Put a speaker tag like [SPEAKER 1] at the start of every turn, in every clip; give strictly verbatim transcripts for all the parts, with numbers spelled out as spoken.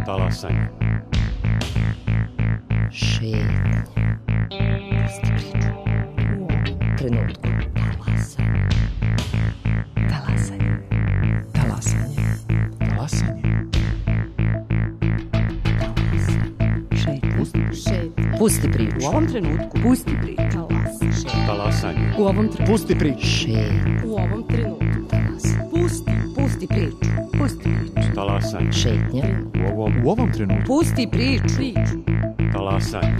[SPEAKER 1] Talasanje.
[SPEAKER 2] Šetnje. Pusti priču. U ovom trenutku. Talasanje. Talasanje.
[SPEAKER 3] Talasanje.
[SPEAKER 2] Šetnje. Pusti priču.
[SPEAKER 4] U ovom trenutku.
[SPEAKER 2] Pusti priču.
[SPEAKER 1] Talasanje.
[SPEAKER 4] U ovom trenutku.
[SPEAKER 3] Pusti priču.
[SPEAKER 2] Šetnje.
[SPEAKER 4] U ovom trenutku.
[SPEAKER 2] Pusti. Pusti priču. Pusti priču.
[SPEAKER 1] Talasanje.
[SPEAKER 2] Šetnja.
[SPEAKER 1] U ovom,
[SPEAKER 3] U ovom trenutku.
[SPEAKER 2] Pusti priču.
[SPEAKER 4] Priču.
[SPEAKER 1] talasanje.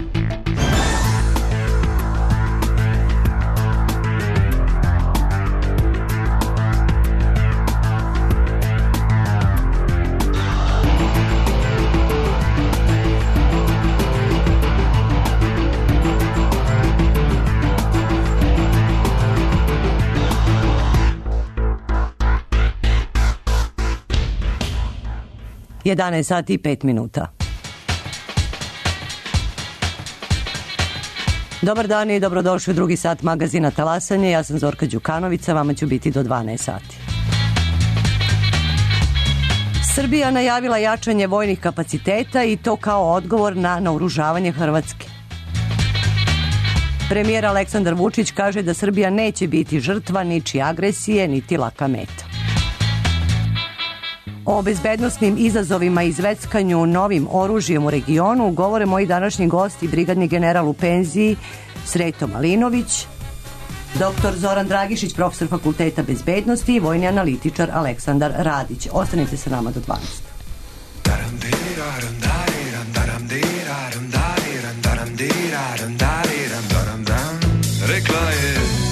[SPEAKER 2] jedanaest sati i pet minuta. Dobar dan i dobrodošli u drugi sat magazina Talasanje. Ja sam Zorka Đukanović, vama ću biti do dvanaest sati. Srbija najavila jačanje vojnih kapaciteta i to kao odgovor na naoružavanje Hrvatske. Premijer Aleksandar Vučić kaže da Srbija neće biti žrtva ničije agresije, niti laka meta. O bezbednosnim izazovima i zveckanju novim oružjem u regionu govore moji današnji gosti, brigadni general u penziji Sreto Malinović, doktor Zoran Dragišić, profesor Fakulteta bezbednosti i vojni analitičar Aleksandar Radić. Ostanite sa nama do dvanaest.
[SPEAKER 5] Rekla je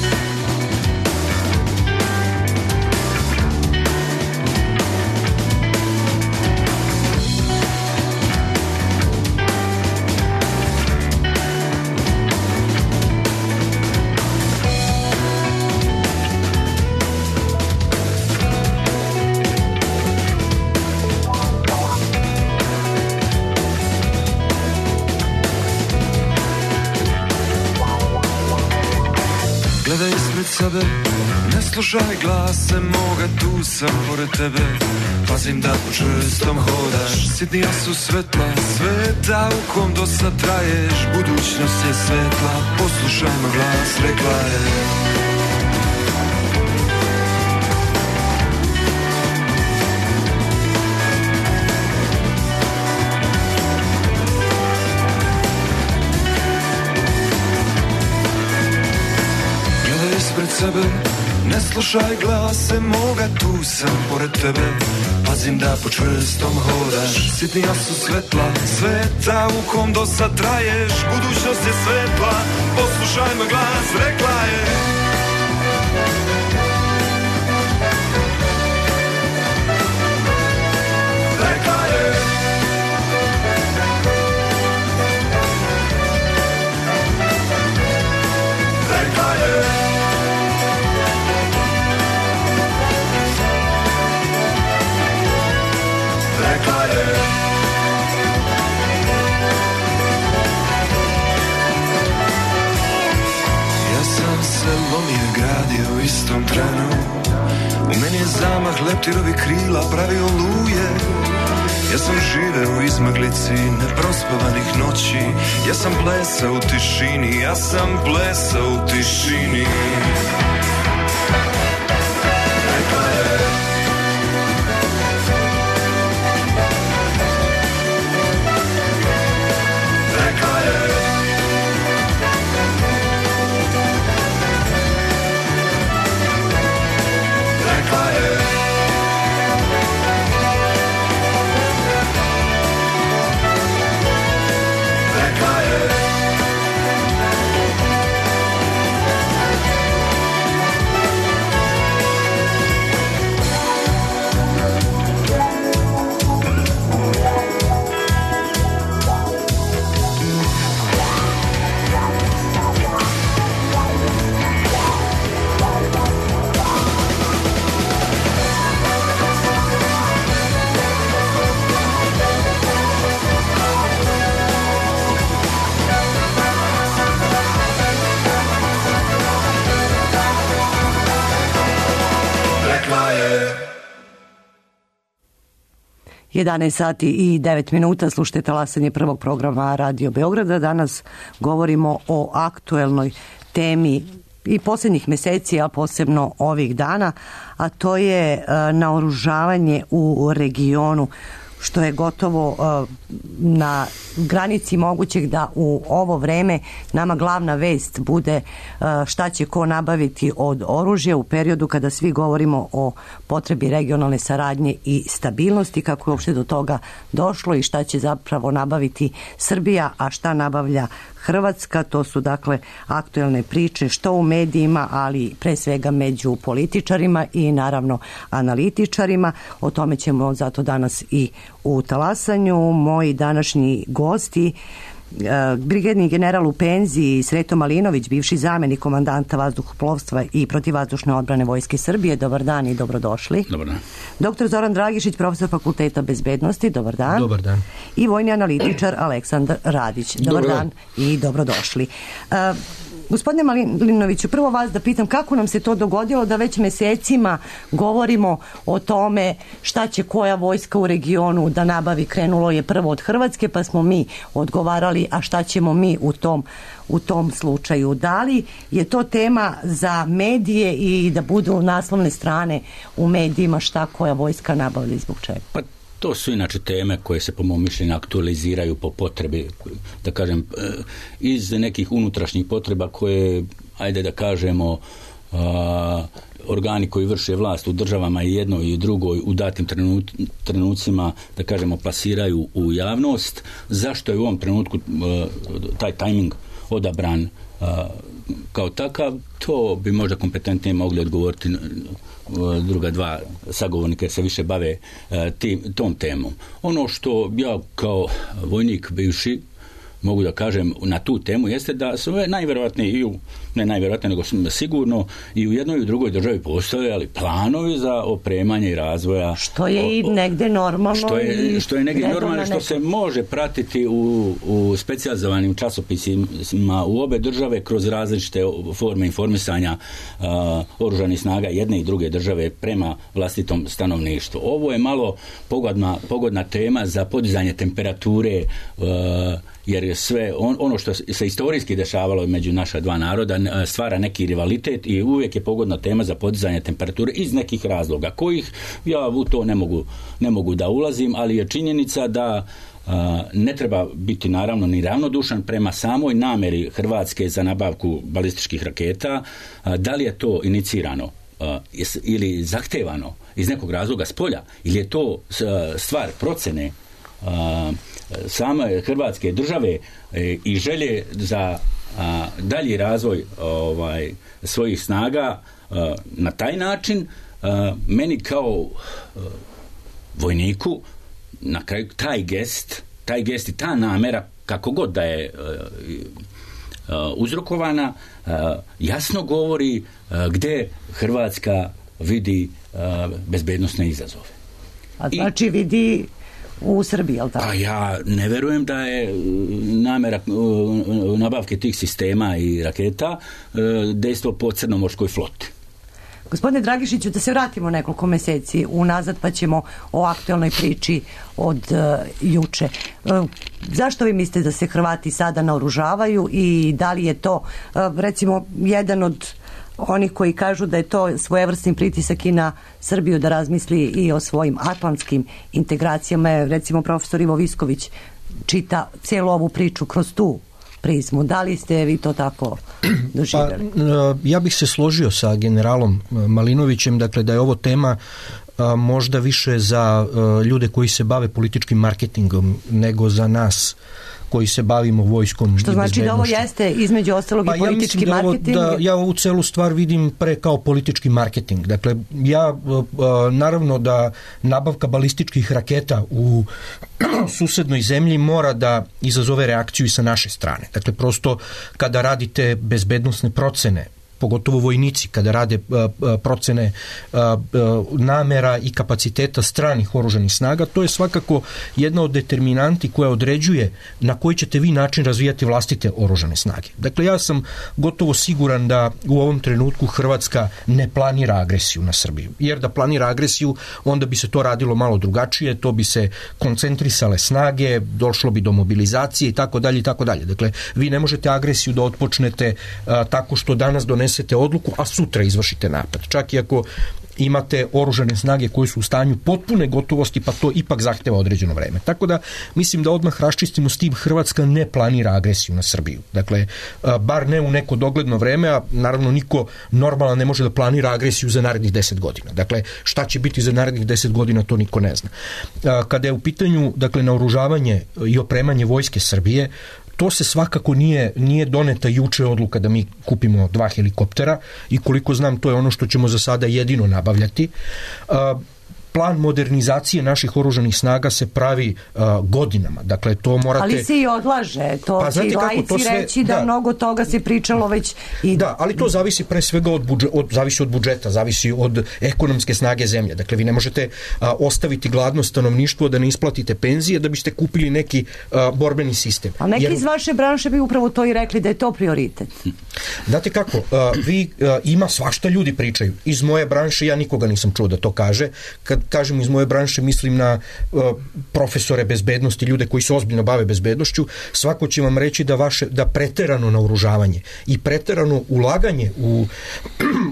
[SPEAKER 5] gledaj ispred sebe, ne slušaj glase moga, tu sam pored tebe. Pazim da po čvrstom hodaš, sitnija su svetla sveta u kom do sad traješ. Budućnost je svetla, poslušaj moj glas, rekla je. Pred sebe, ne slušaj glase moga, tu sam pored tebe. Pazim da po čvrstom hodaš, sitnija su svetla sveta u kom do sad traješ. Budućnost je svetla, poslušaj moj glas, rekla je. Rekla je. Rekla je. Rekla je. Ja sam se lomio i gradio u istom trenu. U meni je zamah leptirovi krila pravio luje. Ja sam živeo u izmaglici neprospavanih noći. Ja sam plesao u tišini, ja sam plesao u tišini. Rekla je. Rekla je. Rekla je. Rekla je.
[SPEAKER 2] jedanaest sati i devet minuta, slušajte talasanje prvog programa Radio Beograda. Danas govorimo o aktuelnoj temi i posljednjih meseci, a posebno ovih dana, a to je naoružavanje u regionu, što je gotovo na granici mogućeg da u ovo vreme nama glavna vest bude šta će ko nabaviti od oružja u periodu kada svi govorimo o potrebi regionalne saradnje i stabilnosti, kako je uopšte do toga došlo i šta će zapravo nabaviti Srbija, a šta nabavlja Hrvatska. To su dakle aktuelne priče što u medijima, ali pre svega među političarima i naravno analitičarima. O tome ćemo zato danas i u talasanju. Moji današnji gosti, brigadni general u penziji Sreto Malinović, bivši zamenik komandanta vazduhoplovstva i protivvazdušne odbrane Vojske Srbije. Dobar dan i dobrodošli.
[SPEAKER 3] Dobar dan.
[SPEAKER 2] Doktor Zoran Dragišić, profesor Fakulteta bezbednosti. Dobar dan.
[SPEAKER 4] Dobar dan.
[SPEAKER 2] I vojni analitičar Aleksandar Radić. Dobar, Dobar dan. dan i dobrodošli. Uh, Gospodine Malinoviću, prvo vas da pitam kako nam se to dogodilo da već mesecima govorimo o tome šta će koja vojska u regionu da nabavi. Krenulo je prvo od Hrvatske, pa smo mi odgovarali, a šta ćemo mi u tom, u tom slučaju. Da li je to tema za medije i da budu naslovne strane u medijima šta koja vojska nabavlja i zbog čega?
[SPEAKER 3] Pa to su inače teme koje se po mom mišljenju aktualiziraju po potrebi, da kažem, iz nekih unutrašnjih potreba koje, ajde da kažemo, a, organi koji vrše vlast u državama i jednoj i drugoj u datim trenut, trenucima, da kažemo, plasiraju u javnost. Zašto je u ovom trenutku a, taj tajming odabran a, kao takav, to bi možda kompetentnije mogli odgovoriti druga dva sagovornika se više bave tim, tom temom. Ono što ja kao vojnik bivši mogu da kažem na tu temu jeste da su najvjerojatnije i u, ne najvjerojatnije nego sigurno i u jednoj i u drugoj državi postojali planovi za opremanje i razvoja.
[SPEAKER 2] Što je o, i negde normalno.
[SPEAKER 3] Što je, što je negdje normalno, što se može pratiti u, u specijalizovanim časopisima u obe države kroz različite forme informisanja uh, oružanih snaga jedne i druge države prema vlastitom stanovništvu. Ovo je malo pogodna, pogodna tema za podizanje temperature uh, jer je sve on, ono što se istorijski dešavalo među naša dva naroda stvara neki rivalitet i uvijek je pogodna tema za podizanje temperature iz nekih razloga kojih ja u to ne mogu, ne mogu da ulazim, ali je činjenica da a, ne treba biti naravno ni ravnodušan prema samoj nameri Hrvatske za nabavku balističkih raketa. A, da li je to inicirano a, ili zahtevano iz nekog razloga s polja ili je to stvar procene a, same Hrvatske države e, i želje za a, dalji razvoj ovaj, svojih snaga a, na taj način a, meni kao a, vojniku na kraju taj gest taj gest i ta namera kako god da je a, a, uzrokovana a, jasno govori a, gde Hrvatska vidi a, bezbednosne izazove.
[SPEAKER 2] A znači I, vidi u Srbiji, jel tako?
[SPEAKER 3] Pa ja ne verujem da je namera nabavke tih sistema i raketa dejstvo po crnomorskoj floti.
[SPEAKER 2] Gospodine Dragišiću, da se vratimo nekoliko meseci unazad pa ćemo o aktuelnoj priči od uh, juče. Uh, zašto vi mislite da se Hrvati sada naoružavaju i da li je to uh, recimo jedan od oni koji kažu da je to svojevrsni pritisak i na Srbiju da razmisli i o svojim atlantskim integracijama. Recimo profesor Ivo Visković čita cijelu ovu priču kroz tu prizmu. Da li ste vi to tako doživjeli?
[SPEAKER 4] Pa, ja bih se složio sa generalom Malinovićem, dakle da je ovo tema a, možda više za a, ljude koji se bave političkim marketingom nego za nas koji se bavimo vojskom.
[SPEAKER 2] Što znači da ovo jeste između ostalog pa i politički ja marketing?
[SPEAKER 4] Da, ja ovu celu stvar vidim pre kao politički marketing. Dakle, ja naravno da nabavka balističkih raketa u susednoj zemlji mora da izazove reakciju i sa naše strane. Dakle, prosto kada radite bezbednosne procene pogotovo vojnici kada rade procene namera i kapaciteta stranih oružanih snaga, to je svakako jedna od determinanti koja određuje na koji ćete vi način razvijati vlastite oružane snage. Dakle, ja sam gotovo siguran da u ovom trenutku Hrvatska ne planira agresiju na Srbiju, jer da planira agresiju, onda bi se to radilo malo drugačije, to bi se koncentrisale snage, došlo bi do mobilizacije i tako dalje i tako dalje. Dakle, vi ne možete agresiju da otpočnete a, tako što danas donesete odluku, a sutra izvršite napad. Čak i ako imate oružane snage koje su u stanju potpune gotovosti, pa to ipak zahteva određeno vreme. Tako da mislim da odmah raščistimo s tim, Hrvatska ne planira agresiju na Srbiju. Dakle, bar ne u neko dogledno vreme, a naravno niko normalan ne može da planira agresiju za narednih deset godina. Dakle, šta će biti za narednih deset godina, to niko ne zna. Kada je u pitanju, dakle, naoružavanje i opremanje vojske Srbije, to se svakako nije, nije doneta juče odluka da mi kupimo dva helikoptera i koliko znam to je ono što ćemo za sada jedino nabavljati. Plan modernizacije naših oružanih snaga se pravi uh, godinama. Dakle, to morate...
[SPEAKER 2] Ali se i odlaže. To pa, će i laici sve... reći da, da mnogo toga se pričalo već i...
[SPEAKER 4] Da, ali to zavisi pre svega od, budžet, od, zavisi od budžeta, zavisi od ekonomske snage zemlje. Dakle, vi ne možete uh, ostaviti gladno stanovništvo da ne isplatite penzije da biste kupili neki uh, borbeni sistem.
[SPEAKER 2] A neki Jer... iz vaše branše bi upravo to i rekli da je to prioritet.
[SPEAKER 4] Znate kako, uh, vi uh, ima svašta ljudi pričaju. Iz moje branše ja nikoga nisam čuo da to kaže. Kad kažem iz moje branše, mislim na uh, profesore bezbednosti, ljude koji se ozbiljno bave bezbednošću, svako će vam reći da vaše da preterano naoružavanje i preterano ulaganje u,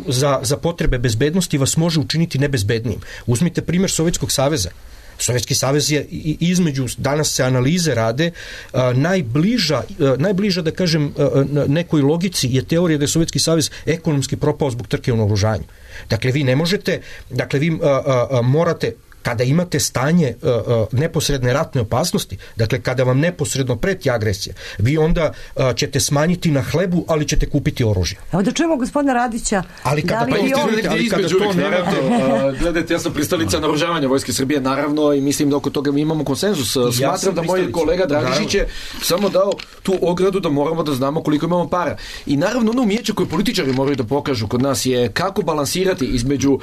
[SPEAKER 4] za, za potrebe bezbednosti vas može učiniti nebezbednijim. Uzmite primjer Sovjetskog saveza. Sovjetski savez je između, danas se analize rade, a, najbliža, a, najbliža da kažem a, nekoj logici je teorija da je Sovjetski savez ekonomski propao zbog trke u naoružanju. Dakle, vi ne možete, dakle, vi a, a, a, morate, kada imate stanje uh, uh, neposredne ratne opasnosti, dakle kada vam neposredno preti agresija, vi onda uh, ćete smanjiti na hlebu, ali ćete kupiti oružje.
[SPEAKER 2] Evo da čujemo gospodina Radića.
[SPEAKER 4] Ali kada,
[SPEAKER 2] da
[SPEAKER 6] pa
[SPEAKER 2] li
[SPEAKER 6] on... ali kada to ne radi... Uh, gledajte, ja sam pristalica naoružavanja Vojske Srbije, naravno, i mislim da oko toga mi imamo konsenzus. Ja Smatram da moj kolega Dragišić je samo dao tu ogradu da moramo da znamo koliko imamo para. I naravno ono umijeće koje političari moraju da pokažu kod nas je kako balansirati između uh,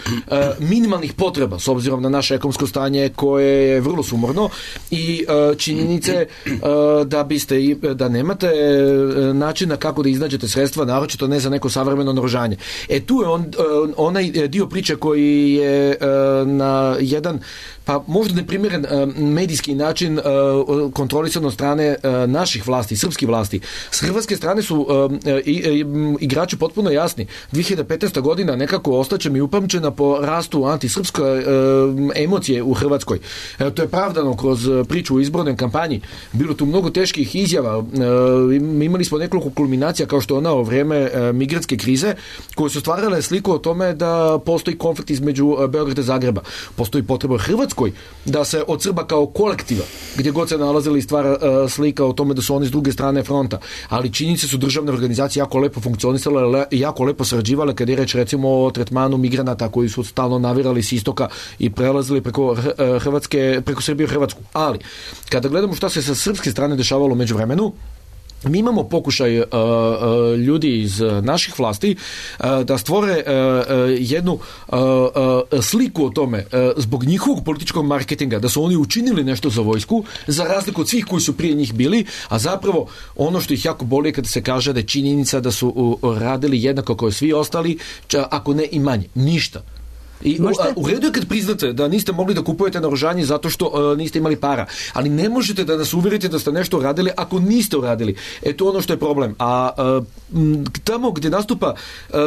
[SPEAKER 6] minimalnih potreba, s obzirom na naše ekonomsko stanje koje je vrlo sumorno i uh, činjenice uh, da biste i, da nemate uh, načina kako da iznađete sredstva, naročito ne za neko savremeno naoružanje. E tu je on, uh, onaj dio priče koji je uh, na jedan pa možda neprimjeren uh, medijski način uh, kontrolisan od strane uh, naših vlasti, srpskih vlasti. S hrvatske strane su uh, i, i, igrači potpuno jasni. dvije hiljade petnaesta godina nekako ostaće mi upamćena po rastu antisrpske uh, emocije u Hrvatskoj. E, to je pravdano kroz priču u izbornoj kampanji. Bilo tu mnogo teških izjava. E, imali smo nekoliko kulminacija kao što je ona u vrijeme e, migrantske krize koje su stvarale sliku o tome da postoji konflikt između Beograda i Zagreba. Postoji potreba u Hrvatskoj da se od Srba kao kolektiva, gdje god se nalazili stvara e, slika o tome da su oni s druge strane fronta. Ali činjenice su državne organizacije jako lepo funkcionisale i jako lepo sarađivale kad je reč recimo o tretmanu migranata koji su stalno navirali s istoka i prelazili preko Hrvatske, preko Srbije u Hrvatsku. Ali, kada gledamo šta se sa srpske strane dešavalo među vremenu, mi imamo pokušaj uh, uh, ljudi iz uh, naših vlasti uh, da stvore uh, uh, jednu uh, uh, sliku o tome uh, zbog njihovog političkog marketinga, da su oni učinili nešto za vojsku, za razliku od svih koji su prije njih bili, a zapravo ono što ih jako boli kada se kaže da je činjenica da su uh, radili jednako kao svi ostali, ča, ako ne i manje. Ništa. I u, a, u redu je kad priznate da niste mogli da kupujete naoružanje zato što uh, niste imali para, ali ne možete da nas uvjerite da ste nešto uradili ako niste uradili. E to ono što je problem. A uh, tamo gdje nastupa uh,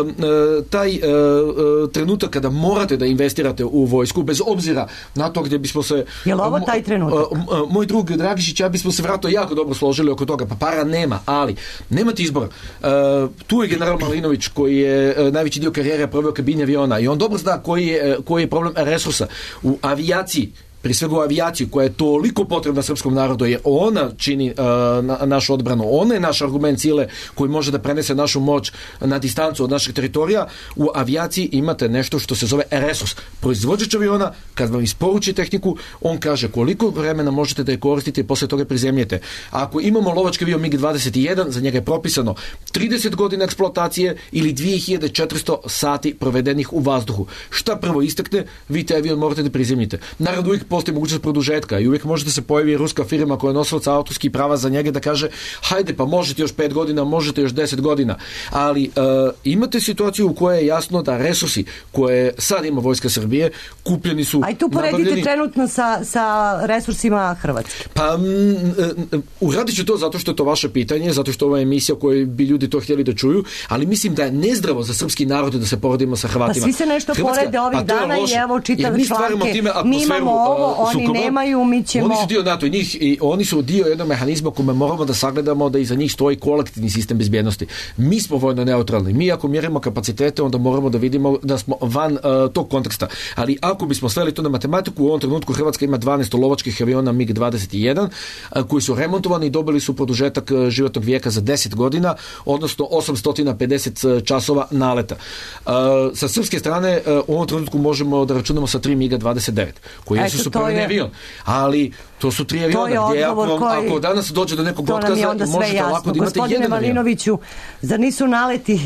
[SPEAKER 6] taj uh, trenutak kada morate da investirate u vojsku, bez obzira na to gdje bismo se...
[SPEAKER 2] Je li ovo taj trenutak?
[SPEAKER 6] Uh, uh, moj drug Dragišić, ja bismo se vratno jako dobro složili oko toga, pa para nema, ali nemate izbora. Uh, tu je general Malinović koji je uh, najveći dio karijere proveo kabini aviona i on dobro zna koji je, koji je problem resursa. U avijaciji prije svega u avijaciju koja je toliko potrebna srpskom narodu, jer ona čini uh, na, našu odbranu, ona je naš argument sile koji može da prenese našu moć na distancu od našeg teritorija. U avijaciji imate nešto što se zove resurs. Proizvođač aviona, kad vam isporuči tehniku, on kaže koliko vremena možete da je koristite i posle toga prizemljete. Ako imamo lovački avion mig dvadeset jedan, za njega je propisano trideset godina eksploatacije ili dve hiljade četiristo sati provedenih u vazduhu. Šta prvo istekne, vi taj avion morate da prizemljite. Naravno, uvijek postoji mogućnost produžetka i uvijek možete se pojavi ruska firma koja je nosilaca autorskih prava za njega da kaže hajde pa možete još pet godina, možete još deset godina. Ali uh, imate situaciju u kojoj je jasno da resursi koje sad ima Vojska Srbije kupljeni su...
[SPEAKER 2] A i tu poredite
[SPEAKER 6] nabavljeni...
[SPEAKER 2] trenutno sa, sa resursima Hrvatske.
[SPEAKER 6] Pa m, m, uradit ću to zato što je to vaše pitanje, zato što ovo je emisija u kojoj bi ljudi to htjeli da čuju, ali mislim da je nezdravo za srpski narod da se poredimo sa Hrvatima.
[SPEAKER 2] Pa svi se nešto
[SPEAKER 6] Hrvatska,
[SPEAKER 2] porede ovih dana i evo čitav članke. Mi imamo ovo, oni
[SPEAKER 6] sukoba.
[SPEAKER 2] Nemaju, mi ćemo...
[SPEAKER 6] Oni su dio NATO i, njih, i oni su dio jednog mehanizma kome moramo da sagledamo da iza njih stoji kolektivni sistem bezbjednosti. Mi smo vojno neutralni. Mi ako mjerimo kapacitete, onda moramo da vidimo da smo van uh, tog konteksta. Ali ako bismo sveli to na matematiku, u ovom trenutku Hrvatska ima dvanaest lovačkih aviona mig dvadeset jedan uh, koji su remontovani i dobili su produžetak uh, životnog vijeka za deset godina, odnosno osamsto pedeset časova naleta. Uh, sa srpske strane uh, u ovom trenutku možemo da računamo sa tri mig dvadeset devet, koji su superni je... avion. Ali to su tri aviona gdje ako, koji... ako danas dođe do nekog otkaza, možete lako da imate
[SPEAKER 2] Gospodine
[SPEAKER 6] jedan
[SPEAKER 2] Malinoviću, zar nisu naleti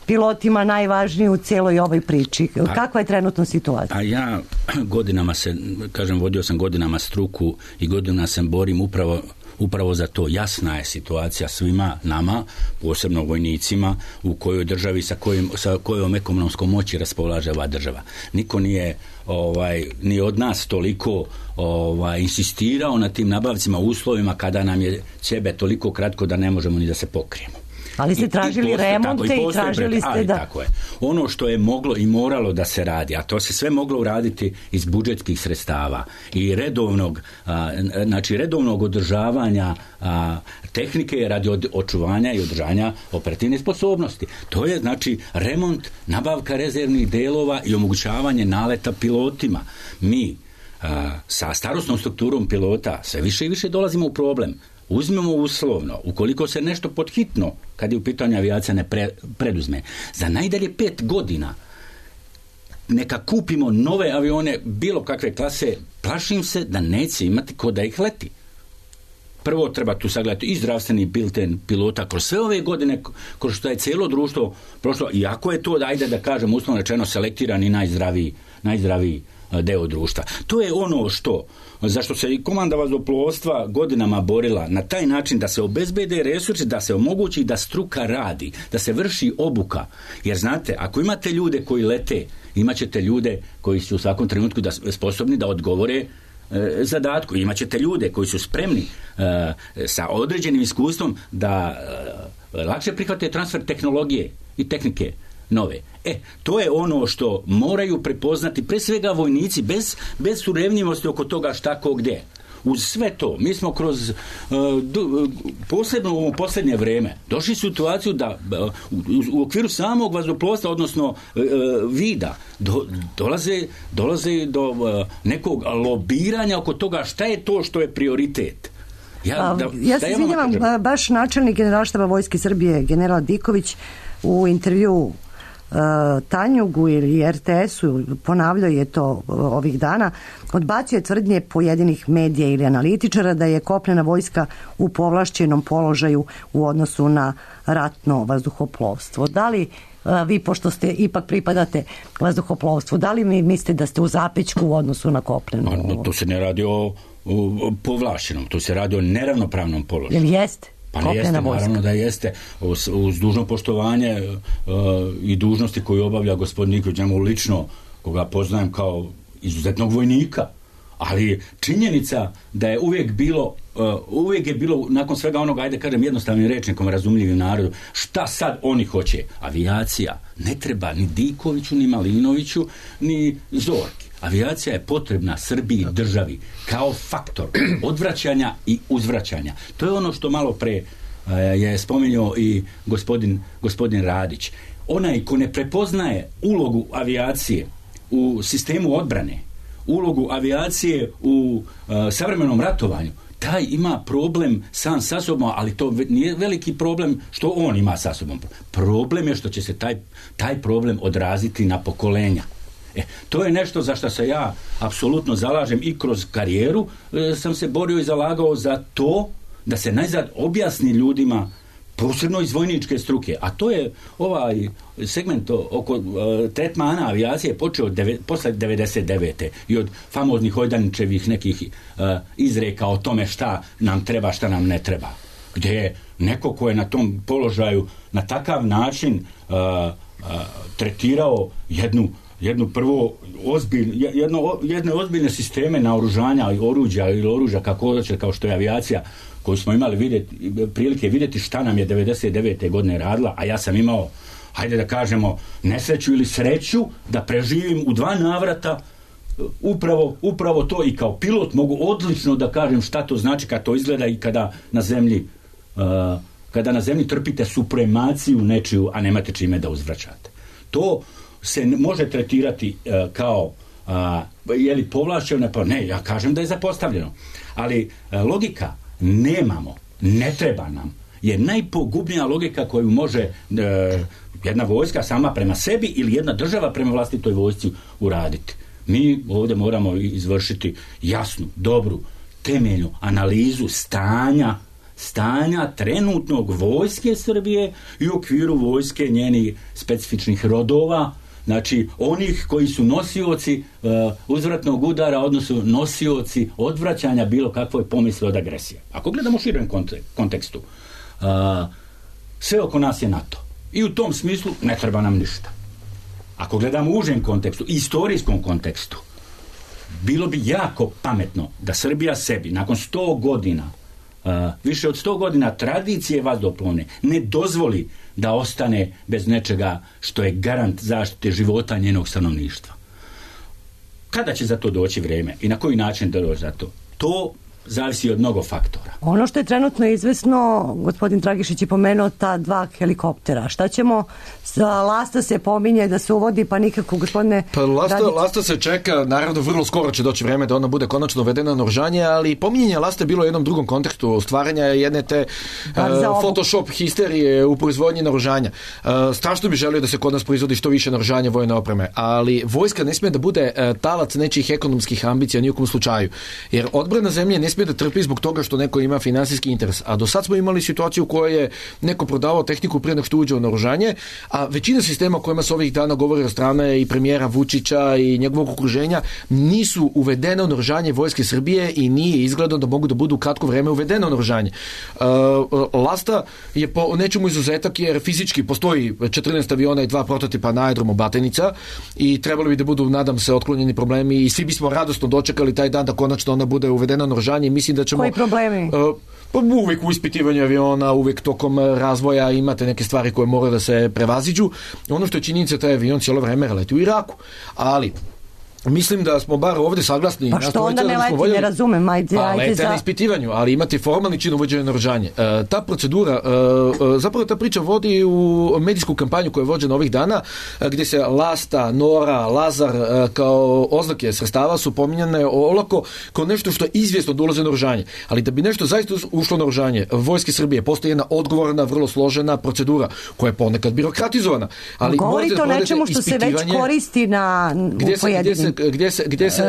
[SPEAKER 2] pilotima najvažniji u cijeloj ovoj priči? Pa, kakva je trenutna situacija?
[SPEAKER 3] A ja godinama se, kažem, vodio sam godinama struku i godinama se borim upravo Upravo za to. Jasna je situacija svima nama, posebno vojnicima, u kojoj državi sa, kojim, sa kojom ekonomskom moći raspolaže ova država. Niko nije ovaj, ni od nas toliko ovaj, insistirao na tim nabavcima uslovima kada nam je ćebe toliko kratko da ne možemo ni da se pokrijemo.
[SPEAKER 2] Ali ste tražili I, remonte i, i tražili ste da...
[SPEAKER 3] Tako je. Ono što je moglo i moralo da se radi, a to se sve moglo uraditi iz budžetskih sredstava i redovnog, a, znači redovnog održavanja a, tehnike radi od, očuvanja i održanja operativne sposobnosti. To je znači remont, nabavka rezervnih delova i omogućavanje naleta pilotima. Mi a, sa starosnom strukturom pilota sve više i više dolazimo u problem. Uzmemo uslovno, ukoliko se nešto podhitno, kad je u pitanju avijacija, ne pre, preduzme, za najdalje pet godina neka kupimo nove avione bilo kakve klase, plašim se da neće imati ko da ih leti. Prvo treba tu sagledati i zdravstveni bilten pilota kroz sve ove godine, kroz što je cijelo društvo prošlo, iako je to, ajde da kažem, uslovno rečeno selektirani najzdraviji, najzdraviji deo društva. To je ono što, zašto se i komanda vazduhoplovstva godinama borila na taj način da se obezbede resursi, da se omogući da struka radi, da se vrši obuka. Jer znate, ako imate ljude koji lete, imat ćete ljude koji su u svakom trenutku da, sposobni da odgovore e, zadatku. Imat ćete ljude koji su spremni e, sa određenim iskustvom da e, lakše prihvate transfer tehnologije i tehnike nove. E, to je ono što moraju prepoznati pre svega vojnici bez, bez surevnjivosti oko toga šta ko gdje. Uz sve to, mi smo kroz uh, do, posebno u posljednje vrijeme došli u situaciju da uh, u, u okviru samog vazduhoplovstva, odnosno uh, vida, do, dolaze, dolaze do uh, nekog lobiranja oko toga šta je to što je prioritet.
[SPEAKER 2] Ja, da, ja se izvinjavam, ja baš načelnik Generalštaba Vojske Srbije, general Diković, u intervju Uh, Tanjugu ili er te esu, ponavljao je to uh, ovih dana, odbacio je tvrdnje pojedinih medija ili analitičara da je kopnena vojska u povlašćenom položaju u odnosu na ratno vazduhoplovstvo. Da li uh, vi, pošto ste ipak pripadate vazduhoplovstvu, da li mi mislite da ste u zapećku u odnosu na kopnenu?
[SPEAKER 3] No, to se ne radi o, o povlašćenom, to se radi o neravnopravnom položaju.
[SPEAKER 2] Jel jeste?
[SPEAKER 3] Pa jeste, naravno da jeste, uz, uz dužno poštovanje uh, i dužnosti koju obavlja gospodin Nikolić, njemu lično, koga poznajem kao izuzetnog vojnika, ali činjenica da je uvijek bilo, uh, uvijek je bilo, nakon svega onoga, ajde kažem jednostavnim rečnikom, razumljivim narodu, šta sad oni hoće? Avijacija ne treba ni Dikoviću, ni Malinoviću, ni Zorki. Avijacija je potrebna Srbiji, državi, kao faktor odvraćanja i uzvraćanja. To je ono što malo pre uh, je spomenuo i gospodin, gospodin Radić. Onaj ko ne prepoznaje ulogu avijacije u sistemu odbrane, ulogu avijacije u uh, savremenom ratovanju, taj ima problem sam sa sobom, ali to nije veliki problem što on ima sa sobom. Problem je što će se taj, taj problem odraziti na pokolenja. E, to je nešto za što se ja apsolutno zalažem i kroz karijeru e, sam se borio i zalagao za to da se najzad objasni ljudima, posebno iz vojničke struke, a to je ovaj segment oko uh, tretmana avijacije počeo deve, posle devedeset devete i od famoznih Hojdanićevih nekih uh, izreka o tome šta nam treba, šta nam ne treba. Gdje je neko ko je na tom položaju na takav način uh, uh, tretirao jednu jednu prvo ozbilj, jedno, jedne ozbiljne sisteme naoružanja i oruđa ili oružja kako hoće, kao što je avijacija koju smo imali vidjeti, prilike vidjeti šta nam je devedeset devete godine radila, a ja sam imao, hajde da kažemo, nesreću ili sreću da preživim u dva navrata upravo, upravo to i kao pilot mogu odlično da kažem šta to znači kad to izgleda i kada na zemlji uh, kada na zemlji trpite supremaciju nečiju, a nemate čime da uzvraćate. To se može tretirati uh, kao uh, je li povlašćeno, pa ne, ja kažem da je zapostavljeno. Ali uh, logika nemamo, ne treba nam, je najpogubnija logika koju može uh, jedna vojska sama prema sebi ili jedna država prema vlastitoj vojsci uraditi. Mi ovdje moramo izvršiti jasnu, dobru, temeljnu analizu stanja stanja trenutnog vojske Srbije i u okviru vojske njenih specifičnih rodova, znači onih koji su nosioci uh, uzvratnog udara, odnosno nosioci odvraćanja bilo kakvoj pomisli od agresije. Ako gledamo u širem kontekstu, uh, sve oko nas je NATO. I u tom smislu ne treba nam ništa. Ako gledamo u užem kontekstu, istorijskom kontekstu, bilo bi jako pametno da Srbija sebi nakon sto godina, uh, više od sto godina tradicije vazduhoplovne, ne dozvoli da ostane bez nečega što je garant zaštite života njenog stanovništva. Kada će za to doći vrijeme i na koji način da doći za to? To zavisi od mnogo faktora.
[SPEAKER 2] Ono što je trenutno izvesno, gospodin Dragišić je pomenuo ta dva helikoptera. Šta ćemo, sa Lasta se pominje da se uvodi, pa nikako, gospodine...
[SPEAKER 6] Pa Lasta,
[SPEAKER 2] Radić...
[SPEAKER 6] Lasta se čeka, naravno vrlo skoro će doći vrijeme da ona bude konačno uvedena na naoružanje, ali pominjanje Lasta je bilo u jednom drugom kontekstu stvaranja jedne te uh, Photoshop histerije u proizvodnji naoružanja. Uh, strašno bi želio da se kod nas proizvodi što više naoružanja vojne opreme, ali vojska ne smije da bude uh, talac nečijih ekonomskih ambicija ni u kom slučaju, jer odbrana zemlje ne smije da trpi zbog toga što neko ima finansijski interes. A do sad smo imali situaciju u kojoj je neko prodavao tehniku prije nego što uđe u naoružanje, a većina sistema o kojima se ovih dana govori od strane i premijera Vučića i njegovog okruženja nisu uvedene u naoružanje vojske Srbije i nije izgledno da mogu da budu u kratko vreme uvedene u naoružanje. Uh, Lasta je po nečemu izuzetak jer fizički postoji četrnaest aviona i dva prototipa na aerodromu Batajnica i trebali bi da budu, nadam se, otklonjeni problemi i svi bismo radosno dočekali taj dan da konačno ona bude uvedena u naoružanje i mislim da ćemo...
[SPEAKER 2] Koji problemi?
[SPEAKER 6] Uh, pa uvijek u ispitivanju aviona, uvijek tokom razvoja imate neke stvari koje moraju da se prevaziđu. Ono što je činjenica, taj avion cijelo vreme leti u Iraku. Ali mislim da smo bar ovdje saglasni.
[SPEAKER 2] Pa što onda ne leti, voljeli... ne razumem, ajde,
[SPEAKER 6] pa,
[SPEAKER 2] ajde
[SPEAKER 6] lete
[SPEAKER 2] za...
[SPEAKER 6] na ispitivanju, ali imate formalni čin uvođenja naoružanja. E, ta procedura, e, zapravo ta priča vodi u medijsku kampanju koja je vođena ovih dana, gdje se Lasta, Nora, Lazar e, kao oznake sredstava su pominjane olako kao nešto što je izvjesno da ulaze naoružanje. Ali da bi nešto zaista ušlo naoružanje vojske Srbije, postoji jedna odgovorna, vrlo složena procedura koja je ponekad birokratizovana. Ali
[SPEAKER 2] govorite o nečemu što se već koristi na
[SPEAKER 6] gdje se, gdje se, gdje se, gdje se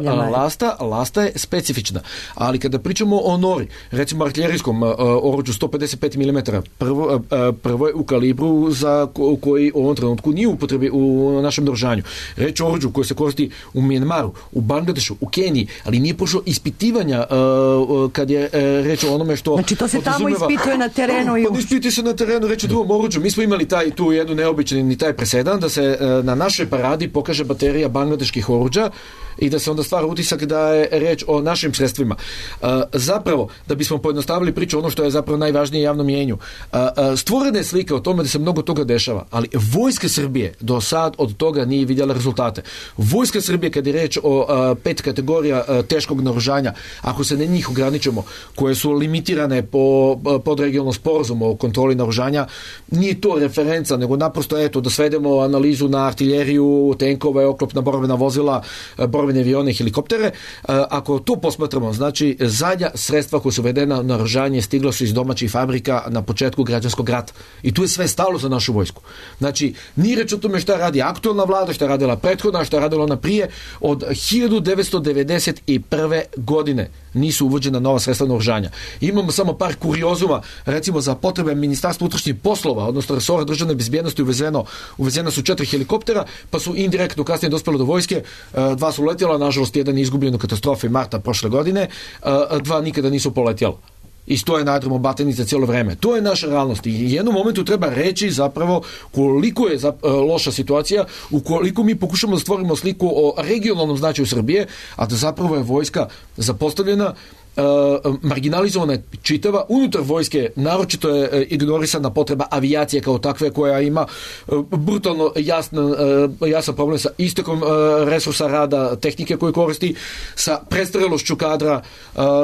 [SPEAKER 6] uh, lasta, lasta je specifična. Ali kada pričamo o Nori, recimo artiljerijskom uh, oruđu sto pedeset pet milimetara, prvo, uh, prvo je u kalibru za ko, koji u ovom trenutku nije u upotrebi u našem naoružanju. Reč o oruđu koji se koristi u Mjanmaru, u Bangladešu, u Keniji, ali nije pošlo ispitivanja uh, kad je uh, reč o onome što...
[SPEAKER 2] Znači to se tamo ispituje na terenu. I
[SPEAKER 6] pa ispituje se na terenu, reč o drugom oruđu. Mi smo imali taj, tu jednu neobični taj presedan da se uh, na našoj paradi pokaže baterija bangladeških oruđa i da se onda stvara utisak da je reč o našim sredstvima. Uh, zapravo, da bismo pojednostavili priču, ono što je zapravo najvažnije javnom mjenju, uh, uh, stvorena je slika o tome da se mnogo toga dešava, ali vojska Srbije do sad od toga nije vidjela rezultate. Vojska Srbije, kad je reč o uh, pet kategorija uh, teškog naoružanja, ako se na njih ograničimo, koje su limitirane po uh, podregionalnom sporazumu o kontroli naoružanja, nije to referenca, nego naprosto eto da svedemo analizu na artiljeriju, tenkove, oklopna borbena vozila vozila, borbene avione, helikoptere. Ako to posmatramo, znači zadnja sredstva koja su uvedena na oružanje stigla su iz domaćih fabrika na početku građanskog rata. I tu je sve stalo za našu vojsku. Znači, nije reč o tome šta radi aktualna vlada, šta je radila prethodna, šta je radila ona prije. Od hiljadu devetsto devedeset prve godine nisu uvođena nova sredstva naoružanja. Imamo samo par kuriozuma, recimo za potrebe Ministarstva unutrašnjih poslova, odnosno resora državne bezbjednosti uvezeno, uvezena su četiri helikoptera, pa su indirektno kasnije dospjelo do vojske, dva su letjela, nažalost jedan je izgubljen u katastrofi marta prošle godine, dva nikada nisu poletjela. I stoje na aerodromu Batajnica cijelo vreme. To je naša realnost. I u jednom momentu treba reći zapravo koliko je loša situacija, ukoliko mi pokušamo da stvorimo sliku o regionalnom značaju Srbije, a da zapravo je vojska zapostavljena, marginalizovana čitava, unutar vojske naročito je ignorisana potreba avijacije kao takve koja ima brutalno jasan, jasan problem sa istekom resursa rada, tehnike koje koristi, sa prestarelošću kadra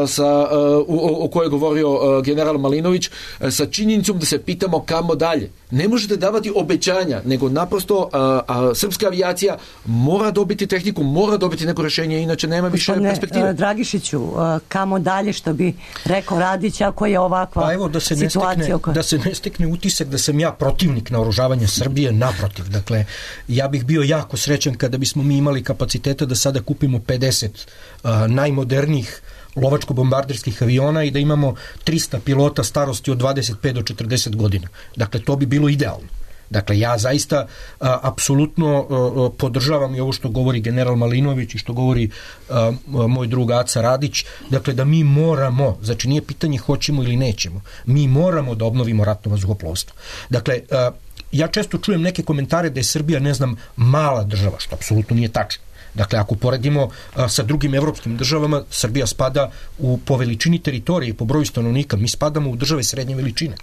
[SPEAKER 6] sa, o, o kojoj je govorio general Malinović, sa činjenicom da se pitamo kamo dalje. Ne možete davati obećanja, nego naprosto a, a, srpska avijacija mora dobiti tehniku, mora dobiti neko rješenje, inače nema više
[SPEAKER 2] Gospodine,
[SPEAKER 6] perspektive.
[SPEAKER 2] Dragišiću, kamo dalje, što bi rekao Radić, ako je ovakva
[SPEAKER 4] pa evo, da se
[SPEAKER 2] situacija?
[SPEAKER 4] Ne stekne, da se ne stekne utisak da sam ja protivnik naoružavanja Srbije, naprotiv. Dakle, ja bih bio jako srećan kada bismo mi imali kapaciteta da sada kupimo pedeset uh, najmodernijih lovačko-bombarderskih aviona i da imamo trista pilota starosti od dvadeset pet do četrdeset godina. Dakle, to bi bilo idealno. Dakle, ja zaista a, apsolutno a, podržavam i ovo što govori general Malinović i što govori a, a, moj drug Aca Radić, dakle da mi moramo, znači nije pitanje hoćemo ili nećemo, mi moramo da obnovimo ratno vazduhoplovstvo. Dakle, a, ja često čujem neke komentare da je Srbija, ne znam, mala država, što apsolutno nije tačno. Dakle, ako poredimo a, sa drugim evropskim državama, Srbija spada u, po veličini teritorije i po broju stanovnika, mi spadamo u države srednje veličine.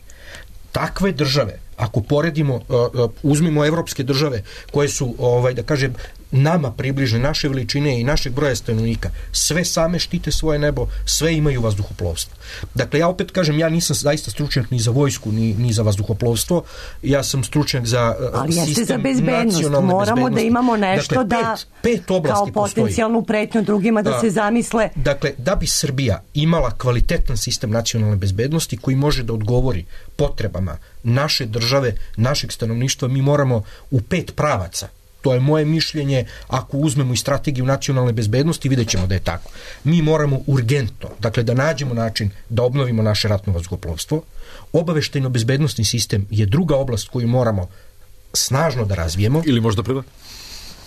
[SPEAKER 4] Takve države, ako poredimo, uh, uh, uzmimo evropske države koje su, ovaj, da kažem, nama približne, naše veličine i našeg broja stanovnika, sve same štite svoje nebo, sve imaju vazduhoplovstvo. Dakle, ja opet kažem, ja nisam zaista stručnjak ni za vojsku, ni, ni za vazduhoplovstvo, ja sam stručnjak za uh,
[SPEAKER 2] ali
[SPEAKER 4] sistem
[SPEAKER 2] za bezbednost. Moramo
[SPEAKER 4] bezbednosti.
[SPEAKER 2] Da imamo nešto
[SPEAKER 4] dakle,
[SPEAKER 2] da,
[SPEAKER 4] pet, pet
[SPEAKER 2] kao potencijalnu pretnju drugima da, da se zamisle.
[SPEAKER 4] Dakle, da bi Srbija imala kvalitetan sistem nacionalne bezbednosti koji može da odgovori potrebama naše države, našeg stanovništva, mi moramo u pet pravaca. To je moje mišljenje, ako uzmemo i strategiju nacionalne bezbednosti, vidjet ćemo da je tako. Mi moramo urgentno, dakle da nađemo način da obnovimo naše ratno vazduhoplovstvo. Obaveštajno-bezbednosni sistem je druga oblast koju moramo snažno da razvijemo.
[SPEAKER 6] Ili možda prva?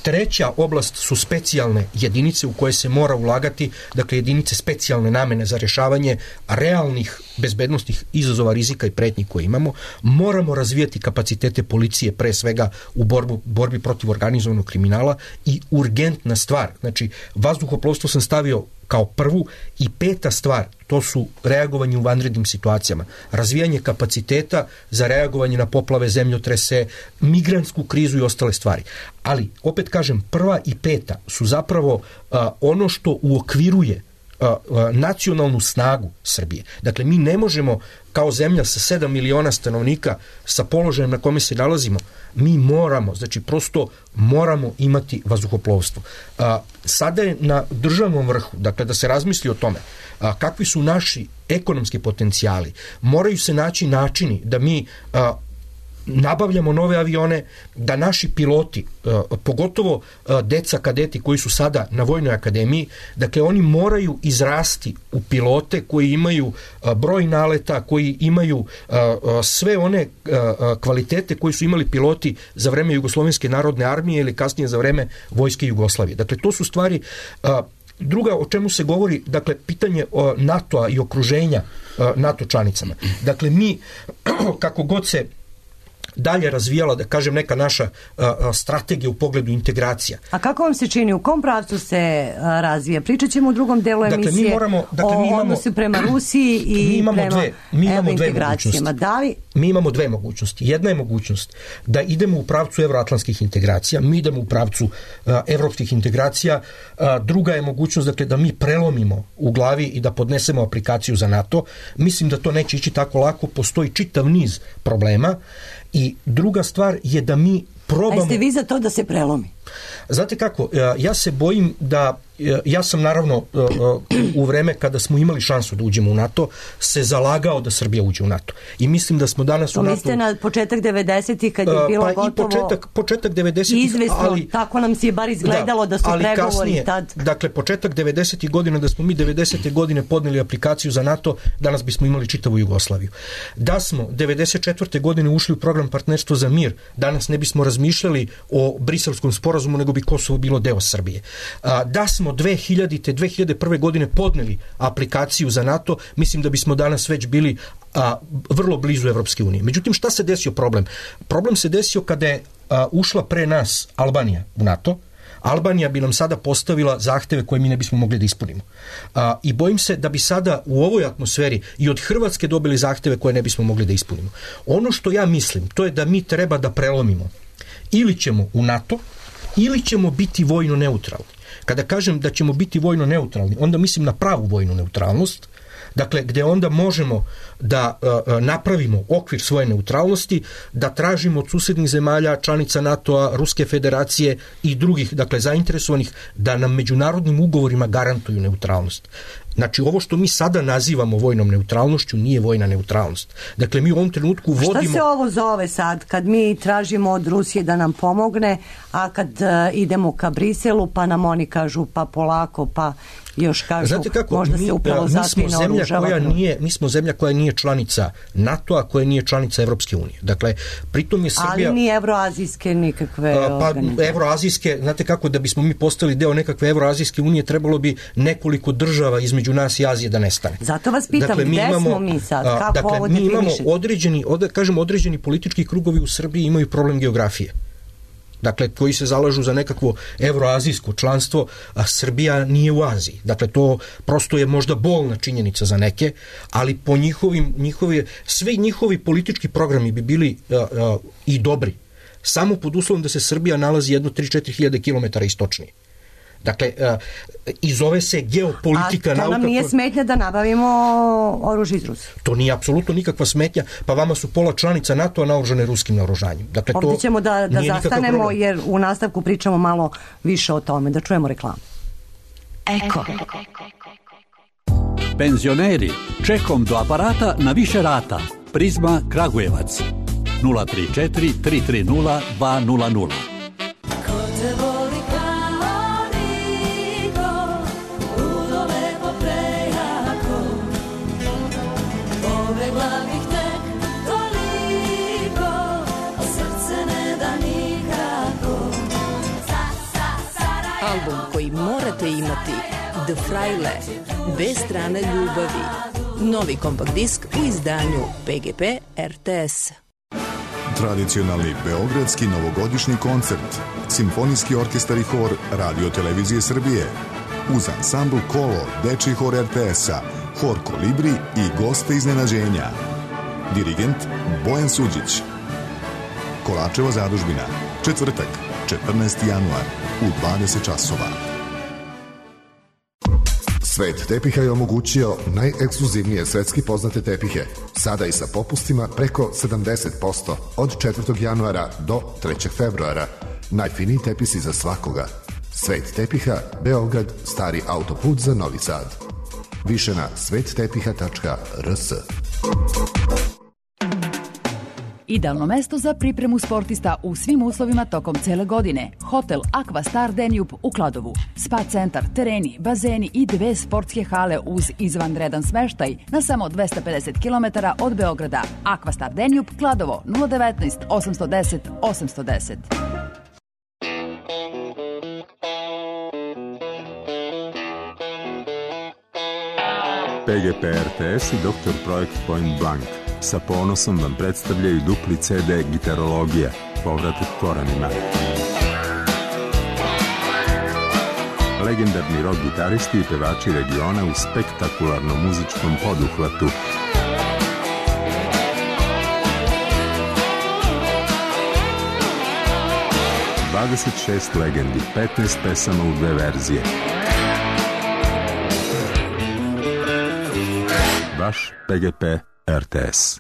[SPEAKER 4] Treća oblast su specijalne jedinice u koje se mora ulagati, dakle jedinice specijalne namene za rješavanje realnih bezbednostnih izazova, rizika i pretnji koje imamo. Moramo razvijati kapacitete policije, pre svega u borbu, borbi protiv organizovanog kriminala i urgentna stvar, znači vazduhoplovstvo sam stavio kao prvu i peta stvar, to su reagovanje u vanrednim situacijama, razvijanje kapaciteta za reagovanje na poplave, zemljotrese, migrantsku krizu i ostale stvari. Ali, opet kažem, prva i peta su zapravo a, ono što uokviruje a, a, nacionalnu snagu Srbije. Dakle, mi ne možemo kao zemlja sa sedam miliona stanovnika sa položajem na kome se nalazimo, mi moramo, znači prosto moramo imati vazduhoplovstvo. A, sada je na državnom vrhu, dakle da se razmisli o tome a, kakvi su naši ekonomski potencijali. Moraju se naći načini da mi a, nabavljamo nove avione, da naši piloti, pogotovo deca kadeti koji su sada na Vojnoj akademiji, dakle oni moraju izrasti u pilote koji imaju broj naleta, koji imaju sve one kvalitete koji su imali piloti za vreme Jugoslovenske narodne armije ili kasnije za vreme Vojske Jugoslavije. Dakle, to su stvari. Druga, o čemu se govori, dakle, pitanje NATO-a i okruženja NATO članicama. Dakle, mi, kako god se dalje razvijala, da kažem, neka naša a, a, strategija u pogledu integracija.
[SPEAKER 2] A kako vam se čini, u kom pravcu se a, razvija? Pričat ćemo u drugom delu emisije
[SPEAKER 4] dakle, mi moramo, dakle, mi
[SPEAKER 2] o
[SPEAKER 4] imamo,
[SPEAKER 2] odnosu prema Rusiji i
[SPEAKER 4] mi
[SPEAKER 2] prema
[SPEAKER 4] dve, mi imamo dve
[SPEAKER 2] integracijama. Da li...
[SPEAKER 4] Mi imamo dve mogućnosti. Jedna je mogućnost da idemo u pravcu evroatlantskih integracija, mi idemo u pravcu a, evropskih integracija. A, druga je mogućnost, dakle, da mi prelomimo u glavi i da podnesemo aplikaciju za NATO. Mislim da to neće ići tako lako, postoji čitav niz problema. I druga stvar je da mi probamo...
[SPEAKER 2] A jeste vi za to da se prelomi?
[SPEAKER 4] Znate kako, ja se bojim da, ja sam naravno u vreme kada smo imali šansu da uđemo u NATO, se zalagao da Srbija uđe u NATO. I mislim da smo danas
[SPEAKER 2] to
[SPEAKER 4] u NATO...
[SPEAKER 2] mislite na početak devedesetih kad je bilo
[SPEAKER 4] pa
[SPEAKER 2] gotovo...
[SPEAKER 4] i početak, početak devedesetih,
[SPEAKER 2] izvesno,
[SPEAKER 4] ali...
[SPEAKER 2] tako nam se je bar izgledalo da, da su
[SPEAKER 4] ali
[SPEAKER 2] pregovori
[SPEAKER 4] kasnije,
[SPEAKER 2] tad...
[SPEAKER 4] Dakle, početak devedesetih godina, da smo mi devedesete godine podneli aplikaciju za NATO, danas bismo imali čitavu Jugoslaviju. Da smo devedeset četvrte godine ušli u program Partnerstvo za mir, danas ne bismo razmišljali o Briselskom sporazumu, nego bi Kosovo bilo deo Srbije. Da smo dve hiljadite. dve hiljade prve. godine podneli aplikaciju za NATO, mislim da bismo danas već bili a, vrlo blizu Evropske unije. Međutim, šta se desio problem? Problem se desio kada je a, ušla pre nas Albanija u NATO. Albanija bi nam sada postavila zahteve koje mi ne bismo mogli da ispunimo. A, I bojim se da bi sada u ovoj atmosferi i od Hrvatske dobili zahteve koje ne bismo mogli da ispunimo. Ono što ja mislim, to je da mi treba da prelomimo. Ili ćemo u NATO, ili ćemo biti vojno neutralni. Kada kažem da ćemo biti vojno neutralni, onda mislim na pravu vojnu neutralnost, dakle gdje onda možemo da uh, napravimo okvir svoje neutralnosti, da tražimo od susjednih zemalja, članica NATO-a, Ruske federacije i drugih, dakle zainteresovanih, da nam međunarodnim ugovorima garantuju neutralnost. Znači, ovo što mi sada nazivamo vojnom neutralnošću nije vojna neutralnost. Dakle, mi u ovom trenutku vodimo...
[SPEAKER 2] Šta se ovo zove sad, kad mi tražimo od Rusije da nam pomogne, a kad uh, idemo ka Briselu, pa nam oni kažu pa polako, pa još kažu,
[SPEAKER 4] znate kako,
[SPEAKER 2] možda
[SPEAKER 4] mi,
[SPEAKER 2] se upravo
[SPEAKER 4] mi smo zemlja koja nije, mi smo zemlja koja nije članica NATO-a, koja nije članica Evropske unije. Dakle, pritom je Srbija...
[SPEAKER 2] Ali ni evroazijske nikakve
[SPEAKER 4] pa,
[SPEAKER 2] organizacije.
[SPEAKER 4] Evroazijske, znate kako, da bismo mi postali deo nekakve evroazijske unije, trebalo bi nekoliko država između nas i Azije da nestane.
[SPEAKER 2] Zato vas pitam,
[SPEAKER 4] dakle,
[SPEAKER 2] gde
[SPEAKER 4] imamo,
[SPEAKER 2] smo mi sad? Kako
[SPEAKER 4] dakle,
[SPEAKER 2] ovo
[SPEAKER 4] mi imamo
[SPEAKER 2] definišete?
[SPEAKER 4] određeni, od, kažem, određeni politički krugovi u Srbiji imaju problem geografije. Dakle, koji se zalažu za nekakvo evroazijsko članstvo, a Srbija nije u Aziji. Dakle, to prosto je možda bolna činjenica za neke, ali po njihovim, njihovi, svi njihovi politički programi bi bili uh, uh, i dobri, samo pod uslovom da se Srbija nalazi jedno tri do četiri hiljade kilometara istočnije. Dakle, uh, i zove se geopolitika nauka.
[SPEAKER 2] A to nam nije smetnja da nabavimo oružje iz Rusije?
[SPEAKER 4] To nije apsolutno nikakva smetnja, pa vama su pola članica NATO-a naoružane ruskim naoružanjem. Dakle,
[SPEAKER 2] ovdje
[SPEAKER 4] to
[SPEAKER 2] ćemo da, da zastanemo, jer u nastavku pričamo malo više o tome. Da čujemo reklamu.
[SPEAKER 7] Eko.
[SPEAKER 1] Penzioneri, čekom do aparata na više rata. Prizma Kragujevac. nula tri četiri tri tri nula dva nula nula.
[SPEAKER 7] Album koji morate imati, The Fraile, Bez strane ljubavi. Novi kompakt disk u izdanju P G P R T S.
[SPEAKER 8] Tradicionalni beogradski novogodišnji koncert, Simfonijski orkestar i hor Radio Televizije Srbije, uz ansambl Kolo, dečiji hor R T S-a, hor Kolibri i goste iznenađenja. Dirigent Bojan Suđić. Kolačeva zadužbina, četvrtak, četrnaesti januar, u dvadeset časova.
[SPEAKER 9] Svet tepiha je omogućio najekskluzivnije svetski poznate tepihe, sada i sa popustima preko sedamdeset posto od četvrtog januara do trećeg februara. Najfiniji tepisi za svakoga. Svet tepiha, Beograd, stari autoput za Novi Sad. Više na svet tepiha tačka r s.
[SPEAKER 10] Idealno mesto za pripremu sportista u svim uslovima tokom cele godine. Hotel Aqua Star Danube u Kladovu. Spa centar, tereni, bazeni i dve sportske hale uz izvanredan smeštaj na samo dvesta pedeset kilometara od Beograda. Aqua Star Danube, Kladovo, nula devetnaest osamsto deset osamsto deset.
[SPEAKER 11] P G P R T S i doktor Projekt Point Blank sa ponosom vam predstavljaju dupli C D Gitarologija, povratak korenima. Legendarni rock gitaristi i pevači regiona u spektakularnom muzičkom poduhvatu. dvadeset šest legendi, petnaest pesama u dve verzije. Vaš P G P R T S.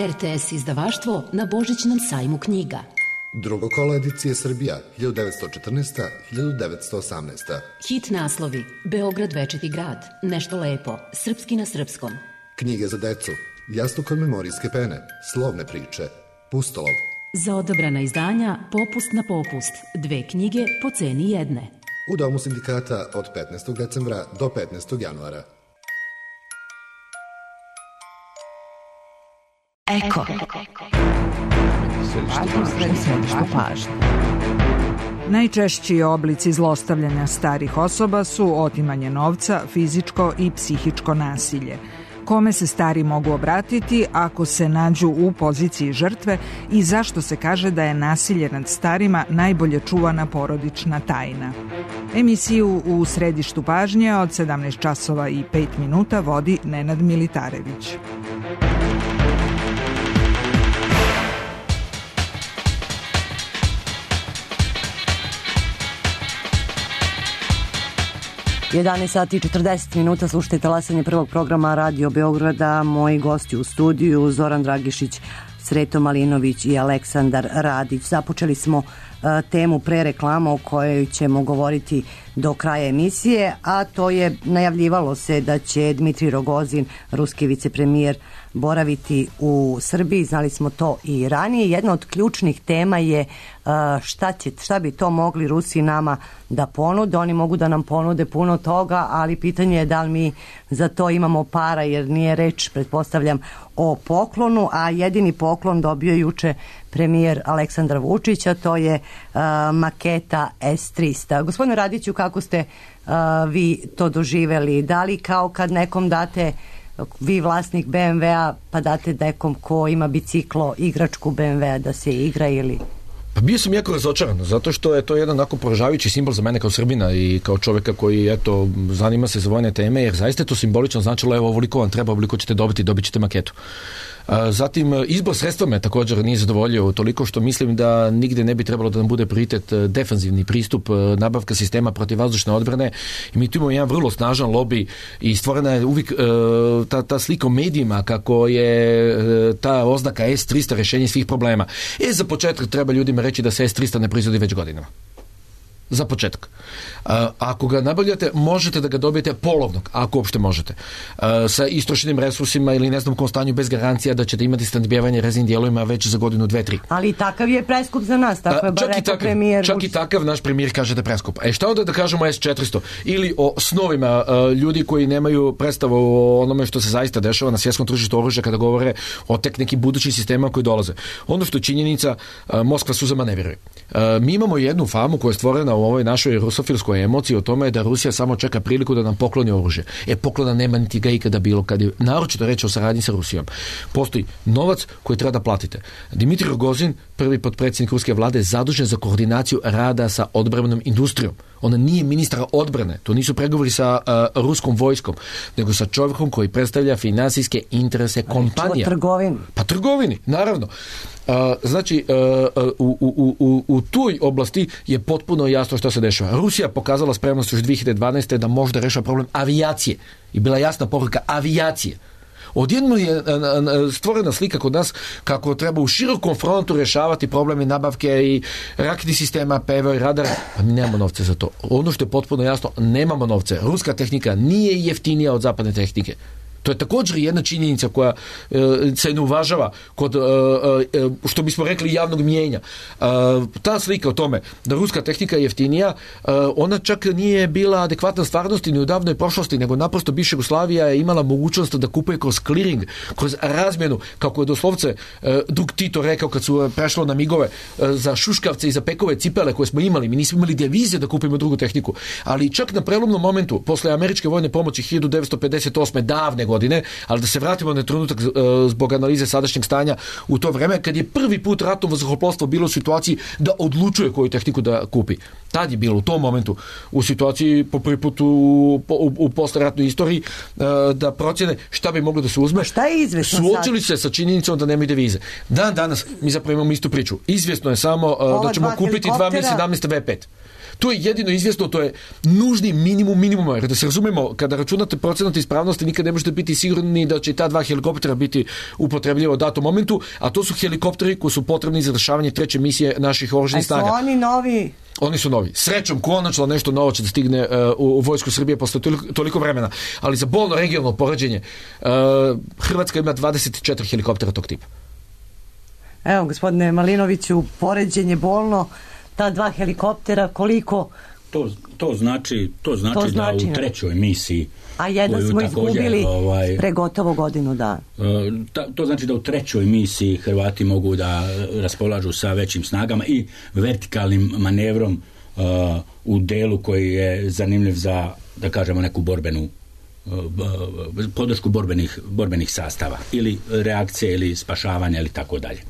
[SPEAKER 12] R T S izdavaštvo na Božićnom sajmu knjiga.
[SPEAKER 9] Drugo kolo edicije Srbija, hiljadu devetsto četrnaesta do hiljadu devetsto osamnaesta.
[SPEAKER 12] Hit naslovi: Beograd večiti grad, Nešto lepo, Srpski na srpskom.
[SPEAKER 9] Knjige za decu, Jastuk od memorijske pene, Slovne priče, Pustolov.
[SPEAKER 12] Za odabrana izdanja Popust na popust, dve knjige po ceni jedne.
[SPEAKER 9] U Domu sindikata od petnaestog decembra do petnaestog januara.
[SPEAKER 10] Eko. Središte pažnje.
[SPEAKER 13] Najčešći oblici zlostavljanja starih osoba su otimanje novca, fizičko i psihičko nasilje. Kome se stari mogu obratiti ako se nađu u poziciji žrtve i zašto se kaže da je nasilje nad starima najbolje čuvana porodična tajna. Emisiju u Središtu pažnje od sedamnaest časova i pet minuta vodi Nenad Militarević.
[SPEAKER 2] jedanaest sati i četrdeset minuta, slušajte talasanje prvog programa Radio Beograda. Moji gosti u studiju Zoran Dragišić, Sreto Malinović i Aleksandar Radić. Započeli smo uh, temu pre reklama o kojoj ćemo govoriti do kraja emisije, a to je, najavljivalo se da će Dmitrij Rogozin, ruski vicepremijer, boraviti u Srbiji. Znali smo to i ranije. Jedna od ključnih tema je uh, šta, će, šta bi to mogli Rusi nama da ponude. Oni mogu da nam ponude puno toga, ali pitanje je da li mi za to imamo para, jer nije reč, pretpostavljam, o poklonu, a jedini poklon dobio juče premijer Aleksandar Vučić, a to je uh, maketa S trista. Gospodine Radiću, kako ste uh, vi to doživeli? Da li kao kad nekom date, vi vlasnik be em ve-a, pa date nekom ko ima biciklo, igračku be em ve-a da se igra ili...
[SPEAKER 6] Pa bio sam jako razočaran, zato što je to jedan onako poražavajući simbol za mene kao Srbina i kao čoveka koji, eto, zanima se za vojne teme, jer zaista je to simbolično značilo, evo, ovoliko vam treba, ovoliko ćete dobiti, dobit ćete maketu. Zatim, izbor sredstva me također nije zadovoljio toliko što mislim da nigde ne bi trebalo da nam bude prioritet defanzivni pristup, nabavka sistema protivvazdušne odbrane, i mi tu imamo jedan vrlo snažan lobby i stvorena je uvijek ta, ta slika u medijima kako je ta oznaka S trista rješenje svih problema. E, za početak treba ljudima reći da se S trista ne proizvodi već godinama. Za početak. A, ako ga nabavljate, možete da ga dobijete polovnog, ako uopšte možete. A, sa istrošenim resursima ili ne znam kom stanju, bez garancija da ćete imati snadbijevanje rezervnim dijelovima već za godinu, dve, tri.
[SPEAKER 2] Ali takav je preskup za nas, tako je bar rekao premijer.
[SPEAKER 6] Čak i takav naš premijer kaže da je preskup. E šta onda da kažemo o S četiristo? Ili o snovima a, ljudi koji nemaju predstavu o onome što se zaista dešava na svjetskom tržištu oružja kada govore o tek nekim budućim sistemama koji dolaze. Ono što je činjenica, a, Moskva suzama ne vjeruje. A, mi imamo jednu famu koja je stvorena u ovoj našoj rusofilskoj emociji o tome da Rusija samo čeka priliku da nam pokloni oružje. E, poklona nema niti ga ikada bilo, kad je naročito reći o saradnji sa Rusijom. Postoji novac koji treba da platite. Dmitrij Rogozin, prvi potpredsjednik ruske vlade, zadužen za koordinaciju rada sa odbrambenom industrijom. Ona nije ministar odbrane, to nisu pregovori sa uh, ruskom vojskom, nego sa čovjekom koji predstavlja finansijske interese kompanija.
[SPEAKER 2] Trgovini.
[SPEAKER 6] Pa trgovini, naravno. Uh, znači, uh, u, u, u, u toj oblasti je potpuno jasno što se dešava. Rusija pokazala spremnost još dvije hiljade dvanaeste. da može da reša problem avijacije. I bila jasna poruka avijacije. Odjednom je stvorena slika kod nas kako treba u širokom frontu rješavati probleme nabavke i raketnih sistema, P V O i radara. Pa mi nemamo novce za to. Ono što je potpuno jasno, nemamo novce. Ruska tehnika nije jeftinija od zapadne tehnike. To je također jedna činjenica koja e, se ne uvažava kod, e, e, što bismo rekli, javnog mijenja. E, ta slika o tome da ruska tehnika je jeftinija, e, ona čak nije bila adekvatna stvarnosti ni u davnoj prošlosti, nego naprosto bivša Jugoslavija je imala mogućnost da kupuje kroz clearing, kroz razmjenu, kako je doslovce e, drug Tito rekao kad su prešlo na migove e, za šuškavce i za pekove cipele koje smo imali. Mi nismo imali devize da kupimo drugu tehniku. Ali čak na prelomnom momentu, posle američke vojne pomoći hiljadu devetsto pedeset osme davne godine, ali da se vratimo na trenutak zbog analize sadašnjeg stanja u to vreme, kad je prvi put ratno vazduhoplovstvo bilo u situaciji da odlučuje koju tehniku da kupi. Tad je bilo u tom momentu u situaciji po prvi put u, u, u posleratnoj istoriji da procjene šta bi moglo da se uzme.
[SPEAKER 2] Šta je izvesno sad?
[SPEAKER 6] Suočili se sa činjenicom da nemaju devize. Dan danas mi zapravo imamo istu priču. Izvjesno je samo Ova da ćemo kupiti dva hiljade sedamnaeste ve pet. To je jedino izvjesno, to je nužni minimum minimuma, jer da se razumemo, kada računate procenat ispravnosti, nikad ne možete biti sigurni da će ta dva helikoptera biti upotrebljiva u datom momentu, a to su helikopteri koji su potrebni za rješavanje treće misije naših oružanih snaga.
[SPEAKER 2] A su oni novi?
[SPEAKER 6] Oni su novi. Srećom, konačno nešto novo će da stigne uh, u, u vojsku Srbije posle toliko, toliko vremena. Ali za bolno regionalno poređenje, uh, Hrvatska ima dvadeset četiri helikoptera tog tipa.
[SPEAKER 2] Evo, gospodine Malinoviću, poređenje bolno, ta dva helikoptera, koliko...
[SPEAKER 3] To, to znači, to znači, to znači da u trećoj misiji...
[SPEAKER 2] A jedan smo izgubili ovaj, pre gotovo godinu dana.
[SPEAKER 3] Ta, to znači da u trećoj misiji Hrvati mogu da raspolažu sa većim snagama i vertikalnim manevrom uh, u delu koji je zanimljiv za, da kažemo, neku borbenu uh, podršku borbenih, borbenih sastava ili reakcije ili spašavanja ili tako dalje.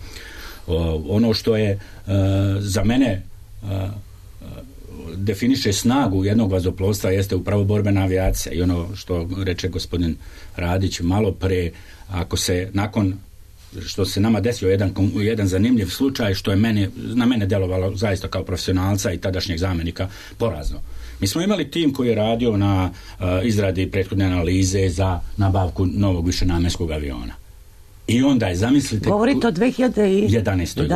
[SPEAKER 3] Uh, ono što je uh, za mene uh, definiše snagu jednog vazduhoplovstva jeste upravo borbena avijacija i ono što reče gospodin Radić malo pre, ako se nakon što se nama desio jedan, jedan zanimljiv slučaj što je mene, na mene delovalo zaista kao profesionalca i tadašnjeg zamenika porazno. Mi smo imali tim koji je radio na uh, izradi prethodne analize za nabavku novog višenamenskog aviona. I onda je, zamislite...
[SPEAKER 2] Govorite o dve hiljade jedanaestoj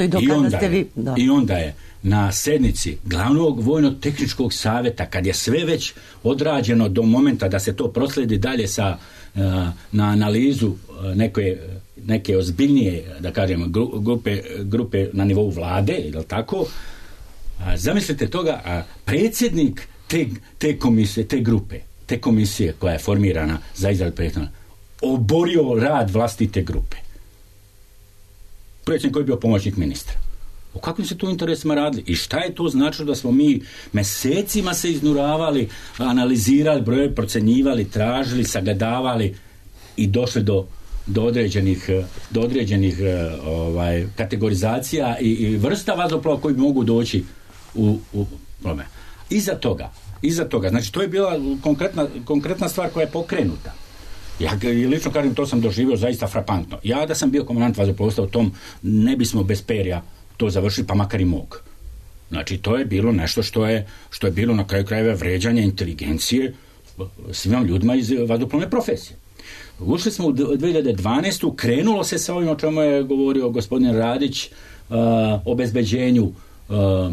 [SPEAKER 2] do kada ste vi... Da.
[SPEAKER 3] I onda je na sednici glavnog vojno-tehničkog savjeta, kad je sve već odrađeno do momenta da se to prosledi dalje sa, uh, na analizu uh, neke, neke ozbiljnije, da kažem, grupe, grupe na nivou vlade, ili tako, a, zamislite toga, a predsjednik te, te komisije, te grupe, te komisije koja je formirana za izradu prethodna, oborio rad vlastite grupe. Predsjednik koji je bio pomoćnik ministra. O kakvim se tu interesima radili? I šta je to značilo da smo mi mesecima se iznuravali, analizirali, broje, procenjivali, tražili, sagledavali i došli do, do određenih, do određenih ovaj, kategorizacija i, i vrsta vazduhoplova koji mogu doći u, u problem. Iza toga, iza toga, znači to je bila konkretna, konkretna stvar koja je pokrenuta. Ja lično kažem, to sam doživio zaista frapantno. Ja da sam bio komandant vazduhoplovstva u tom, ne bismo bez perja to završili, pa makar i mog. Znači, to je bilo nešto što je, što je bilo na kraju krajeva vređanje inteligencije svim ljudima iz vazduhoplovne profesije. Ušli smo u dve hiljade dvanaestu. Krenulo se sa ovim o čemu je govorio gospodin Radić, uh, o obezbeđenju uh, uh,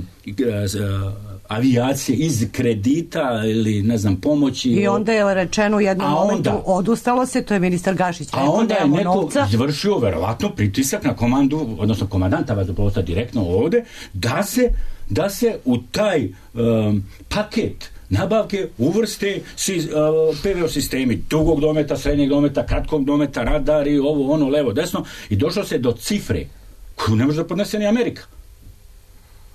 [SPEAKER 3] avijacije iz kredita ili ne znam pomoći.
[SPEAKER 2] I onda je rečeno u jednom momentu onda, odustalo se, to je ministar Gašić rekao,
[SPEAKER 3] a onda je neko izvršio verovatno pritisak na komandu, odnosno komandanta vazduhoplovstva direktno ovde, da se, da se u taj um, paket nabavke uvrste si, uh, P V O sistemi dugog dometa, srednjeg dometa, kratkog dometa, radari, ovo, ono, levo, desno, i došlo se do cifre koju ne može da podnese ni Amerika.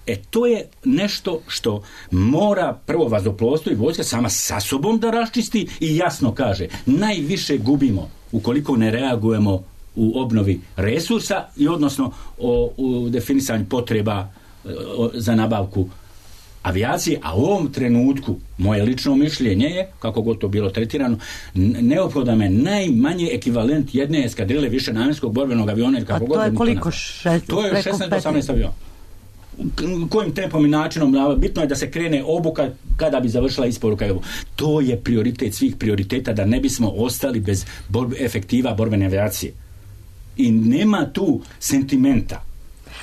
[SPEAKER 3] E, to je nešto što mora prvo vazduhoplovstvo i vojska sama sa sobom da raščisti i jasno kaže, najviše gubimo ukoliko ne reagujemo u obnovi resursa i odnosno o, u definisanju potreba o, za nabavku avijacije, a u ovom trenutku moje lično mišljenje je, kako god to bilo tretirano, neophodan je najmanje ekvivalent jedne eskadrile višenamenskog borbenog aviona.
[SPEAKER 2] A to je koliko? Šest,
[SPEAKER 3] to je šesnaest do osamnaest aviona. Kojim tempom i načinom, bitno je da se krene obuka kada bi završila isporuka. To je prioritet svih prioriteta, da ne bismo ostali bez borbe, efektiva borbene avijacije. I nema tu sentimenta.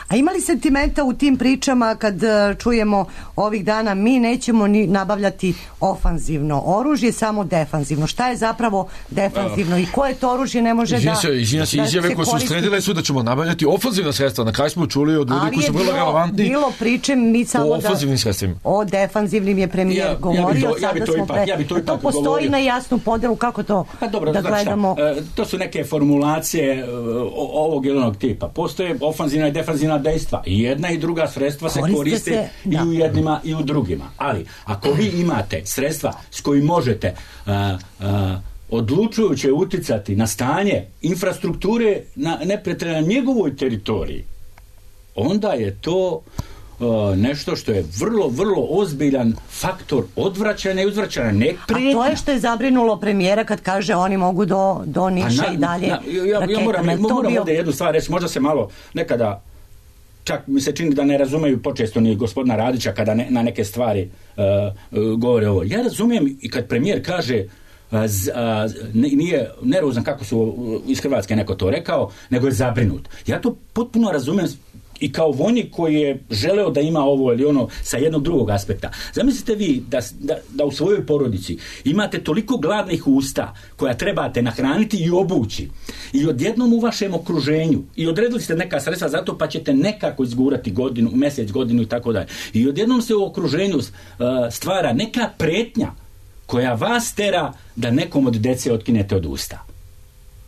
[SPEAKER 2] A ima li sentimenta u tim pričama kad čujemo ovih dana mi nećemo ni nabavljati ofanzivno oružje, samo defanzivno? Šta je zapravo defanzivno i koje to oružje ne može
[SPEAKER 6] izvina
[SPEAKER 2] da...
[SPEAKER 6] Se, izvina se, izjave koje su sredile su da ćemo nabavljati ofanzivna sredstva. Na kraju smo čuli od ljudi koji su vrlo relevantni.
[SPEAKER 2] Ali je bilo priče mi samo
[SPEAKER 6] o ofanzivnim sredstvima.
[SPEAKER 2] O defanzivnim je premijer ja, govorio,
[SPEAKER 3] ja
[SPEAKER 2] sada
[SPEAKER 3] ja
[SPEAKER 2] smo
[SPEAKER 3] pre... Ja to,
[SPEAKER 2] to postoji govorio. Na jasnu podelu, kako to
[SPEAKER 3] pa dobro,
[SPEAKER 2] da gledamo?
[SPEAKER 3] Šta, to su neke formulacije ovog ili onog tipa. Postoje ofanzivna i defanzivna dejstva. Jedna i druga sredstva se koriste, koriste se, i da. U jednima i u drugima. Ali, ako vi imate sredstva s kojim možete uh, uh, odlučujuće uticati na stanje infrastrukture na neprijatelja na njegovoj teritoriji, onda je to uh, nešto što je vrlo, vrlo ozbiljan faktor odvraćanja i uzvraćanja, ne prijetnja.
[SPEAKER 2] A to je što je zabrinulo premijera kad kaže oni mogu do, do Niša na, i dalje.
[SPEAKER 3] Na, ja, ja, ja moram, ja moram bio... ovdje jednu stvar reći, možda se malo nekada čak mi se čini da ne razumeju počesto ni gospodina Radića kada ne, na neke stvari uh, uh, govore ovo. Ja razumijem i kad premijer kaže uh, z, uh, nije nervozan kako su uh, iz Hrvatske neko to rekao, nego je zabrinut. Ja to potpuno razumijem i kao vojnik koji je želeo da ima ovo ili ono sa jednog drugog aspekta. Zamislite vi da, da, da u svojoj porodici imate toliko gladnih usta koja trebate nahraniti i obući i odjednom u vašem okruženju i odredili ste neka sredstva za to pa ćete nekako izgurati godinu, mjesec, godinu i tako dalje. I odjednom se u okruženju uh, stvara neka pretnja koja vas tera da nekom od dece otkinete od usta.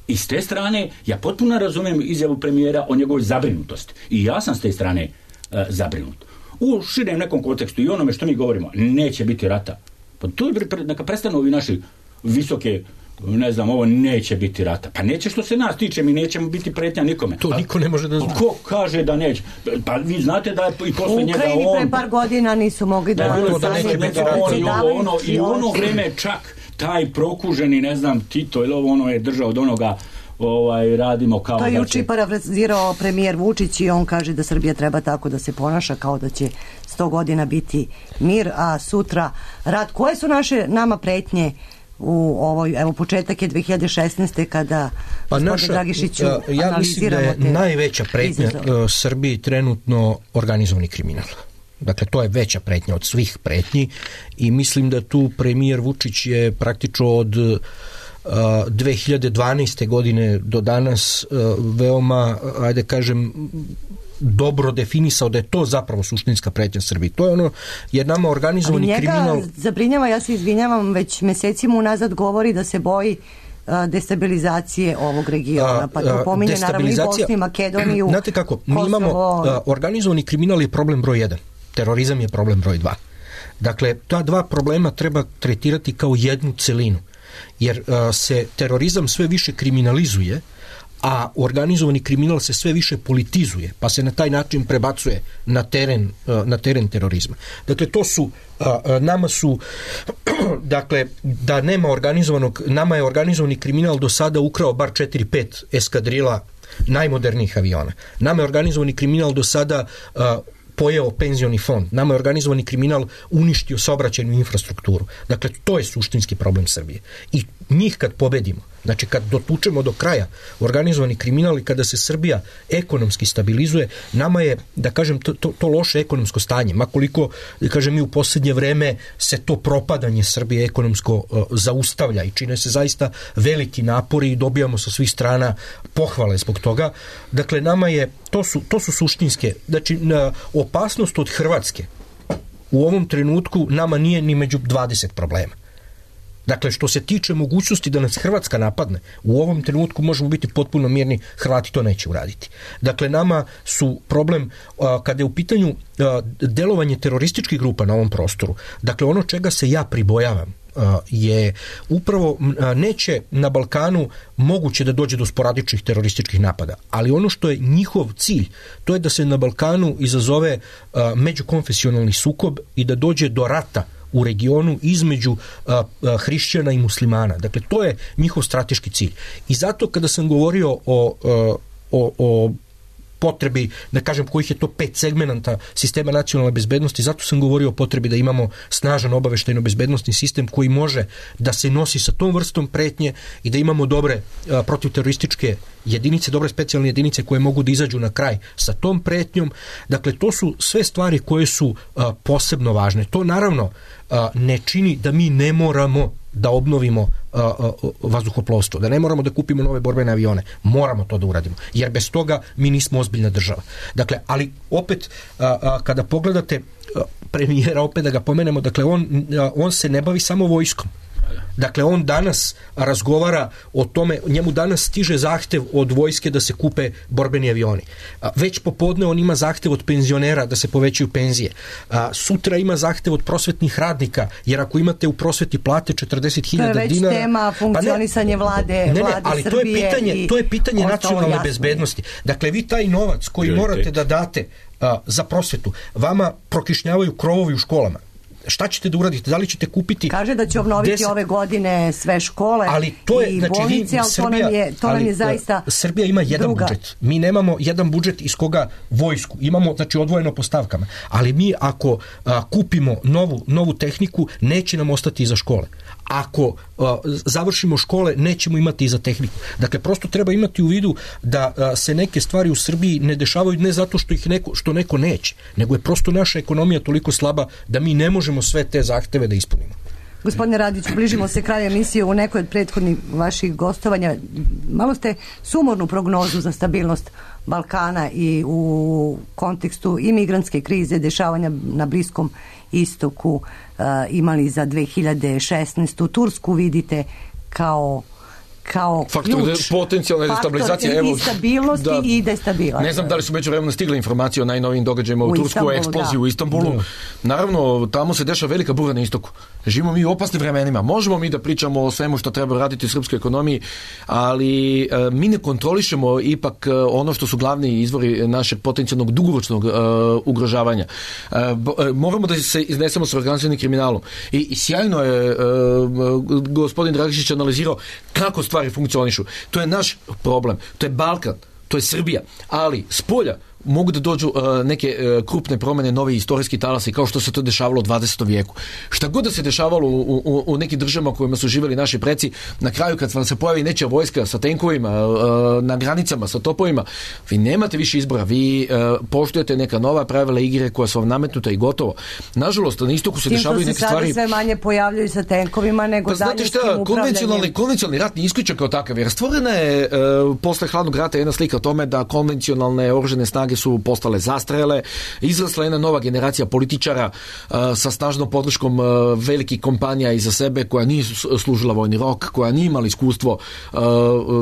[SPEAKER 3] I s te strane, ja potpuno razumijem izjavu premijera o njegovoj zabrinutosti. I ja sam s te strane uh, zabrinut. U širem nekom kontekstu i onome što mi govorimo, neće biti rata. Pa to je, neka prestanu ovi naši visoke, ne znam, ovo neće biti rata. Pa neće što se nas tiče, mi nećemo biti pretnja nikome.
[SPEAKER 4] To
[SPEAKER 3] pa,
[SPEAKER 4] niko ne može da zna.
[SPEAKER 3] Ko kaže da neće? Pa vi znate da je i posle njega on...
[SPEAKER 2] U Ukrajini pre par godina nisu mogli da...
[SPEAKER 3] Da,
[SPEAKER 2] da,
[SPEAKER 3] da neće biti on i ovo, ono, i u ono vreme čak taj prokuženi, ne znam, Tito ili ovo ono je držao od onoga ovaj, radimo kao
[SPEAKER 2] to
[SPEAKER 3] da će...
[SPEAKER 2] To je juče parafrazirao premijer Vučić i on kaže da Srbija treba tako da se ponaša kao da će sto godina biti mir, a sutra rat. Koje su naše nama pretnje u ovoj, evo početak je dve hiljade šesnaeste kada
[SPEAKER 4] pa naša,
[SPEAKER 2] Dragišiću
[SPEAKER 4] ja mislim da je najveća pretnja izazove. Srbiji trenutno organizovani kriminal. Dakle, to je veća pretnja od svih pretnji i mislim da tu premijer Vučić je praktično od uh, dve hiljade dvanaeste godine do danas uh, veoma, ajde kažem, dobro definisao da je to zapravo suštinska pretnja Srbiji. To je ono, jer nama organizovani
[SPEAKER 2] njega
[SPEAKER 4] kriminal...
[SPEAKER 2] zabrinjava, ja se izvinjavam, već mesecima unazad govori da se boji destabilizacije ovog regiona, pa to pominje naravno i Bosnu i Makedoniju.
[SPEAKER 4] Znate kako, mi Kosovo... imamo organizovani kriminal je problem broj jedan, terorizam je problem broj dva. Dakle, ta dva problema treba tretirati kao jednu celinu, jer uh, se terorizam sve više kriminalizuje, a organizovani kriminal se sve više politizuje, pa se na taj način prebacuje na teren, na teren terorizma. Dakle, to su, nama su, dakle, da nema organizovanog, nama je organizovani kriminal do sada ukrao bar četiri pet eskadrila najmodernijih aviona. Nama je organizovani kriminal do sada pojeo penzioni fond. Nama je organizovani kriminal uništio saobraćajnu infrastrukturu. Dakle, to je suštinski problem Srbije. I njih kad pobedimo, znači kad dotučemo do kraja organizovani kriminal i kada se Srbija ekonomski stabilizuje, nama je, da kažem, to, to, to loše ekonomsko stanje, makoliko, da kažem, mi u posljednje vreme se to propadanje Srbije ekonomsko uh, zaustavlja i čine se zaista veliki napori i dobijamo sa svih strana pohvale zbog toga. Dakle, nama je, to su, to su suštinske, znači na, opasnost od Hrvatske u ovom trenutku nama nije ni među dvadeset problema. Dakle, što se tiče mogućnosti da nas Hrvatska napadne, u ovom trenutku možemo biti potpuno mirni, Hrvati to neće uraditi. Dakle, nama su problem, a, kada je u pitanju a, delovanje terorističkih grupa na ovom prostoru, dakle, ono čega se ja pribojavam a, je upravo a, neće na Balkanu moguće da dođe do sporadičnih terorističkih napada, ali ono što je njihov cilj, to je da se na Balkanu izazove a, međukonfesionalni sukob i da dođe do rata u regionu između a, a, hrišćana i muslimana. Dakle, to je njihov strateški cilj. I zato kada sam govorio o, a, o, o potrebi, da kažem kojih je to pet segmenata sistema nacionalne bezbednosti, zato sam govorio o potrebi da imamo snažan obaveštajno-bezbednostni sistem koji može da se nosi sa tom vrstom pretnje i da imamo dobre a, protivterorističke jedinice, dobre specijalne jedinice koje mogu da izađu na kraj sa tom pretnjom. Dakle, to su sve stvari koje su a, posebno važne. To naravno a, ne čini da mi ne moramo da obnovimo a, a, vazduhoplovstvo, da ne moramo da kupimo nove borbene avione. Moramo to da uradimo, jer bez toga mi nismo ozbiljna država. Dakle, ali opet a, a, kada pogledate a, premijera, opet da ga pomenemo, dakle, on, a, on se ne bavi samo vojskom. Dakle, on danas razgovara o tome, njemu danas stiže zahtev od vojske da se kupe borbeni avioni. Već popodne on ima zahtev od penzionera da se povećaju penzije. Sutra ima zahtev od prosvetnih radnika, jer ako imate u prosveti plate četrdeset hiljada dinara...
[SPEAKER 2] To je već tema funkcionisanje
[SPEAKER 4] pa
[SPEAKER 2] vlade,
[SPEAKER 4] ne, ne,
[SPEAKER 2] vlade
[SPEAKER 4] ali
[SPEAKER 2] Srbije.
[SPEAKER 4] To je pitanje, to je pitanje nacionalne bezbednosti. Dakle, vi taj novac koji morate da date a, za prosvetu, vama prokišnjavaju krovovi u školama. šta ćete da uradite? Da li ćete kupiti...
[SPEAKER 2] Kaže da će obnoviti deset... ove godine sve škole ali to je, i znači, bolnice, ali Srbija, to nam je, to ali, nam je zaista
[SPEAKER 4] Srbija ima jedan
[SPEAKER 2] druga.
[SPEAKER 4] budžet. Mi nemamo jedan budžet iz koga vojsku. Imamo, znači, odvojeno po stavkama. Ali mi ako a, kupimo novu, novu tehniku, neće nam ostati za škole. Ako a, završimo škole, nećemo imati i za tehniku. Dakle, prosto treba imati u vidu da a, se neke stvari u Srbiji ne dešavaju ne zato što ih neko, što neko neće, nego je prosto naša ekonomija toliko slaba da mi ne možemo sve te zahteve da ispunimo.
[SPEAKER 2] Gospodine Radiću, bližimo se kraju emisije. U nekoj od prethodnih vaših gostovanja malo ste sumornu prognozu za stabilnost Balkana i u kontekstu imigrantske krize, dešavanja na Bliskom istoku uh, imali za dve hiljade šesnaestu. Tursku vidite kao kao
[SPEAKER 6] faktor
[SPEAKER 2] ključ,
[SPEAKER 6] potencijalne destabilizacije,
[SPEAKER 2] evo, i stabilnosti da, i destabilizacije.
[SPEAKER 6] Ne znam da li su međuvremeno stigle informacije o najnovijim događajima u, u Tursku, o eksploziji u Istanbulu. Da. Naravno, tamo se dešava velika bura na istoku. Živimo mi u opasnim vremenima. Možemo mi da pričamo o svemu što treba raditi u srpskoj ekonomiji, ali e, mi ne kontrolišemo ipak e, ono što su glavni izvori našeg potencijalnog dugoročnog e, ugrožavanja. E, bo, e, moramo da se iznesemo sa organizovanim kriminalom. I, i sjajno je e, gospodin Dragišić analizirao kako stvari funkcionišu. To je naš problem. To je Balkan. To je Srbija. Ali spolja mogu da dođu uh, neke uh, krupne promene, novi istorijski talasi, kao što se to dešavalo u dvadesetom vijeku. Šta god da se dešavalo u, u, u nekim državama u kojima su živjeli naši preci, na kraju kad vam se pojavi nečija vojska sa tenkovima, uh, na granicama, sa topovima, vi nemate više izbora, vi uh, poštujete neka nova pravila igre koja su vam nametnuta i gotovo. Nažalost, na istoku se dešavaju neke stvari...
[SPEAKER 2] Tim što se sve manje pojavljaju sa tenkovima nego pa, daljinskim upravljanjem.
[SPEAKER 6] Konvencionalni, konvencionalni rat ne isključen kao takav, jer stvorena je uh, posle hladnog rata jedna slika o tome da konvencionalne oružane snage su postale zastrele, izrasla jedna nova generacija političara uh, sa snažnom podrškom uh, velikih kompanija iza sebe, koja nije služila vojni rok, koja nije imala iskustvo uh,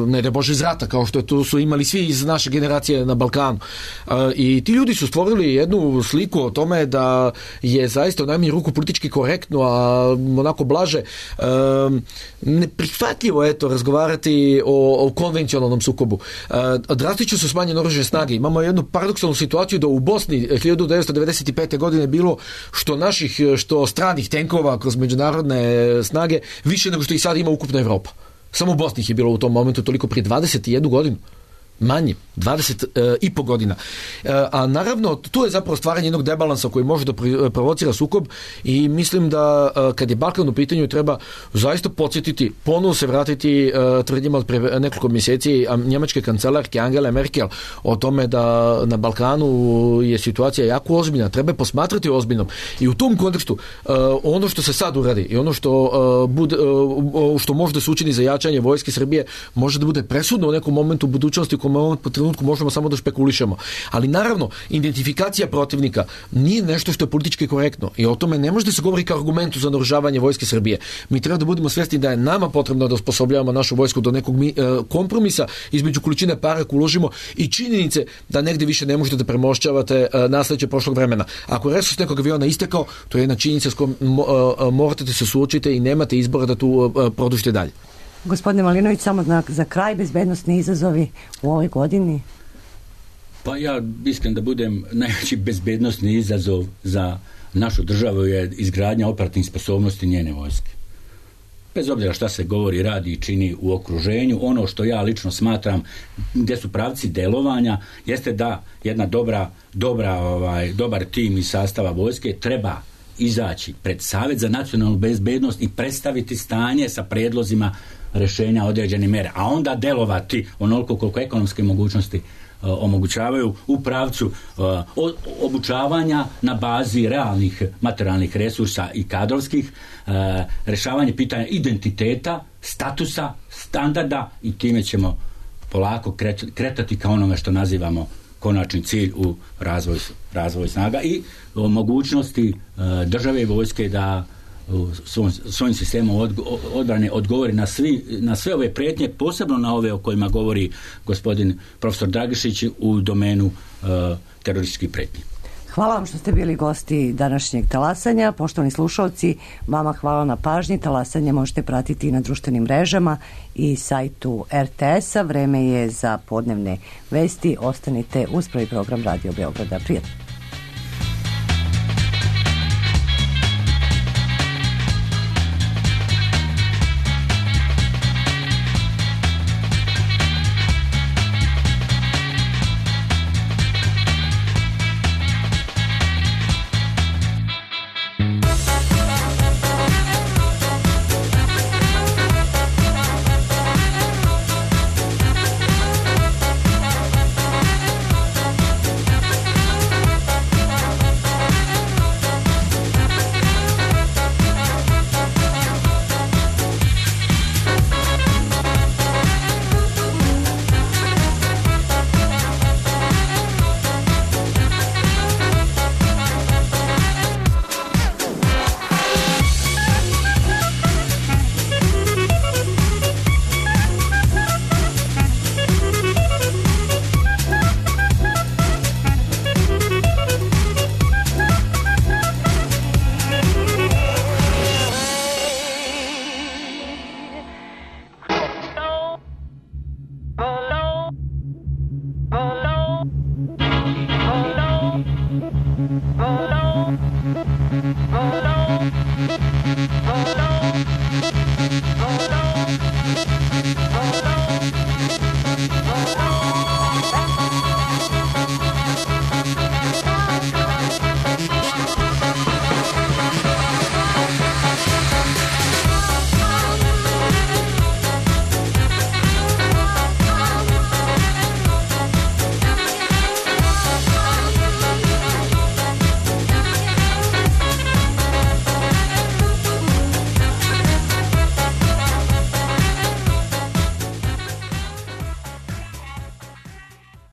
[SPEAKER 6] ne da Bože iz rata, kao što to su imali svi iz naše generacije na Balkanu. Uh, I ti ljudi su stvorili jednu sliku o tome da je zaista u najmanju ruku politički korektno, a onako blaže uh, neprihvatljivo eto razgovarati o, o konvencionalnom sukobu. Uh, drastično su smanjene oružane snage. Imamo jednu paradoksalnu situaciju da u Bosni hiljadu devetsto devedeset pete. godine bilo što naših, što stranih tenkova kroz međunarodne snage više nego što ih sad ima ukupna Evropa. Samo u Bosni ih je bilo u tom momentu toliko prije dvadeset jednu godinu. Manje, dvadeset i po godina. A naravno, tu je zapravo stvaranje jednog debalansa koji može da provocira sukob i mislim da kad je Balkan u pitanju treba zaista podsjetiti, ponovo se vratiti tvrdnjima od pre nekoliko mjeseci njemačke kancelarke Angele Merkel o tome da na Balkanu je situacija jako ozbiljna, treba je posmatrati ozbiljnom. I u tom kontekstu ono što se sad uradi i ono što, bude, što može da se učini za jačanje vojske Srbije može da bude presudno u nekom momentu u budućnosti u ovom trenutku možemo samo da špekulišemo. Ali naravno, identifikacija protivnika nije nešto što je politički korektno i o tome ne može da se govori kao argumentu za naoružavanje vojske Srbije. Mi treba da budemo svjesni da je nama potrebno da osposobljavamo našu vojsku do nekog mi, e, kompromisa između količine para koju uložimo i činjenice da negde više ne možete da premošćavate e, nasleđe prošlog vremena. Ako je resurs nekog aviona istekao, to je jedna činjenica s kojom mo, e, morate da se suočite i nemate izbora da tu e, produžite dalje.
[SPEAKER 2] Gospodine Malinović, samo za, za kraj, bezbednosni izazovi u ovoj godini?
[SPEAKER 3] Pa ja iskreno da budem, najveći bezbednosni izazov za našu državu je izgradnja operativnih sposobnosti njene vojske. Bez obzira šta se govori, radi i čini u okruženju, ono što ja lično smatram gdje su pravci delovanja jeste da jedna dobra, dobra, ovaj, dobar tim iz sastava vojske treba izaći pred Savjet za nacionalnu bezbednost i predstaviti stanje sa prijedlozima rješenja određene mere, a onda delovati onoliko koliko ekonomske mogućnosti uh, omogućavaju u pravcu uh, obučavanja na bazi realnih materijalnih resursa i kadrovskih, uh, rješavanje pitanja identiteta, statusa, standarda i time ćemo polako kretati ka onome što nazivamo konačni cilj u razvoju razvoj snaga i o mogućnosti uh, države i vojske da svojim, svojim sistemom odgo, odbrane odgovori na, svi, na sve ove prijetnje, posebno na ove o kojima govori gospodin profesor Dragišić u domenu uh, terorističkih prijetnji.
[SPEAKER 2] Hvala vam što ste bili gosti današnjeg talasanja. Poštovani slušalci, vama hvala na pažnji. Talasanje možete pratiti i na društvenim mrežama i sajtu er te es-a. Vreme je za podnevne vesti. Ostanite uz prvi program Radio Beograda. Prijatno.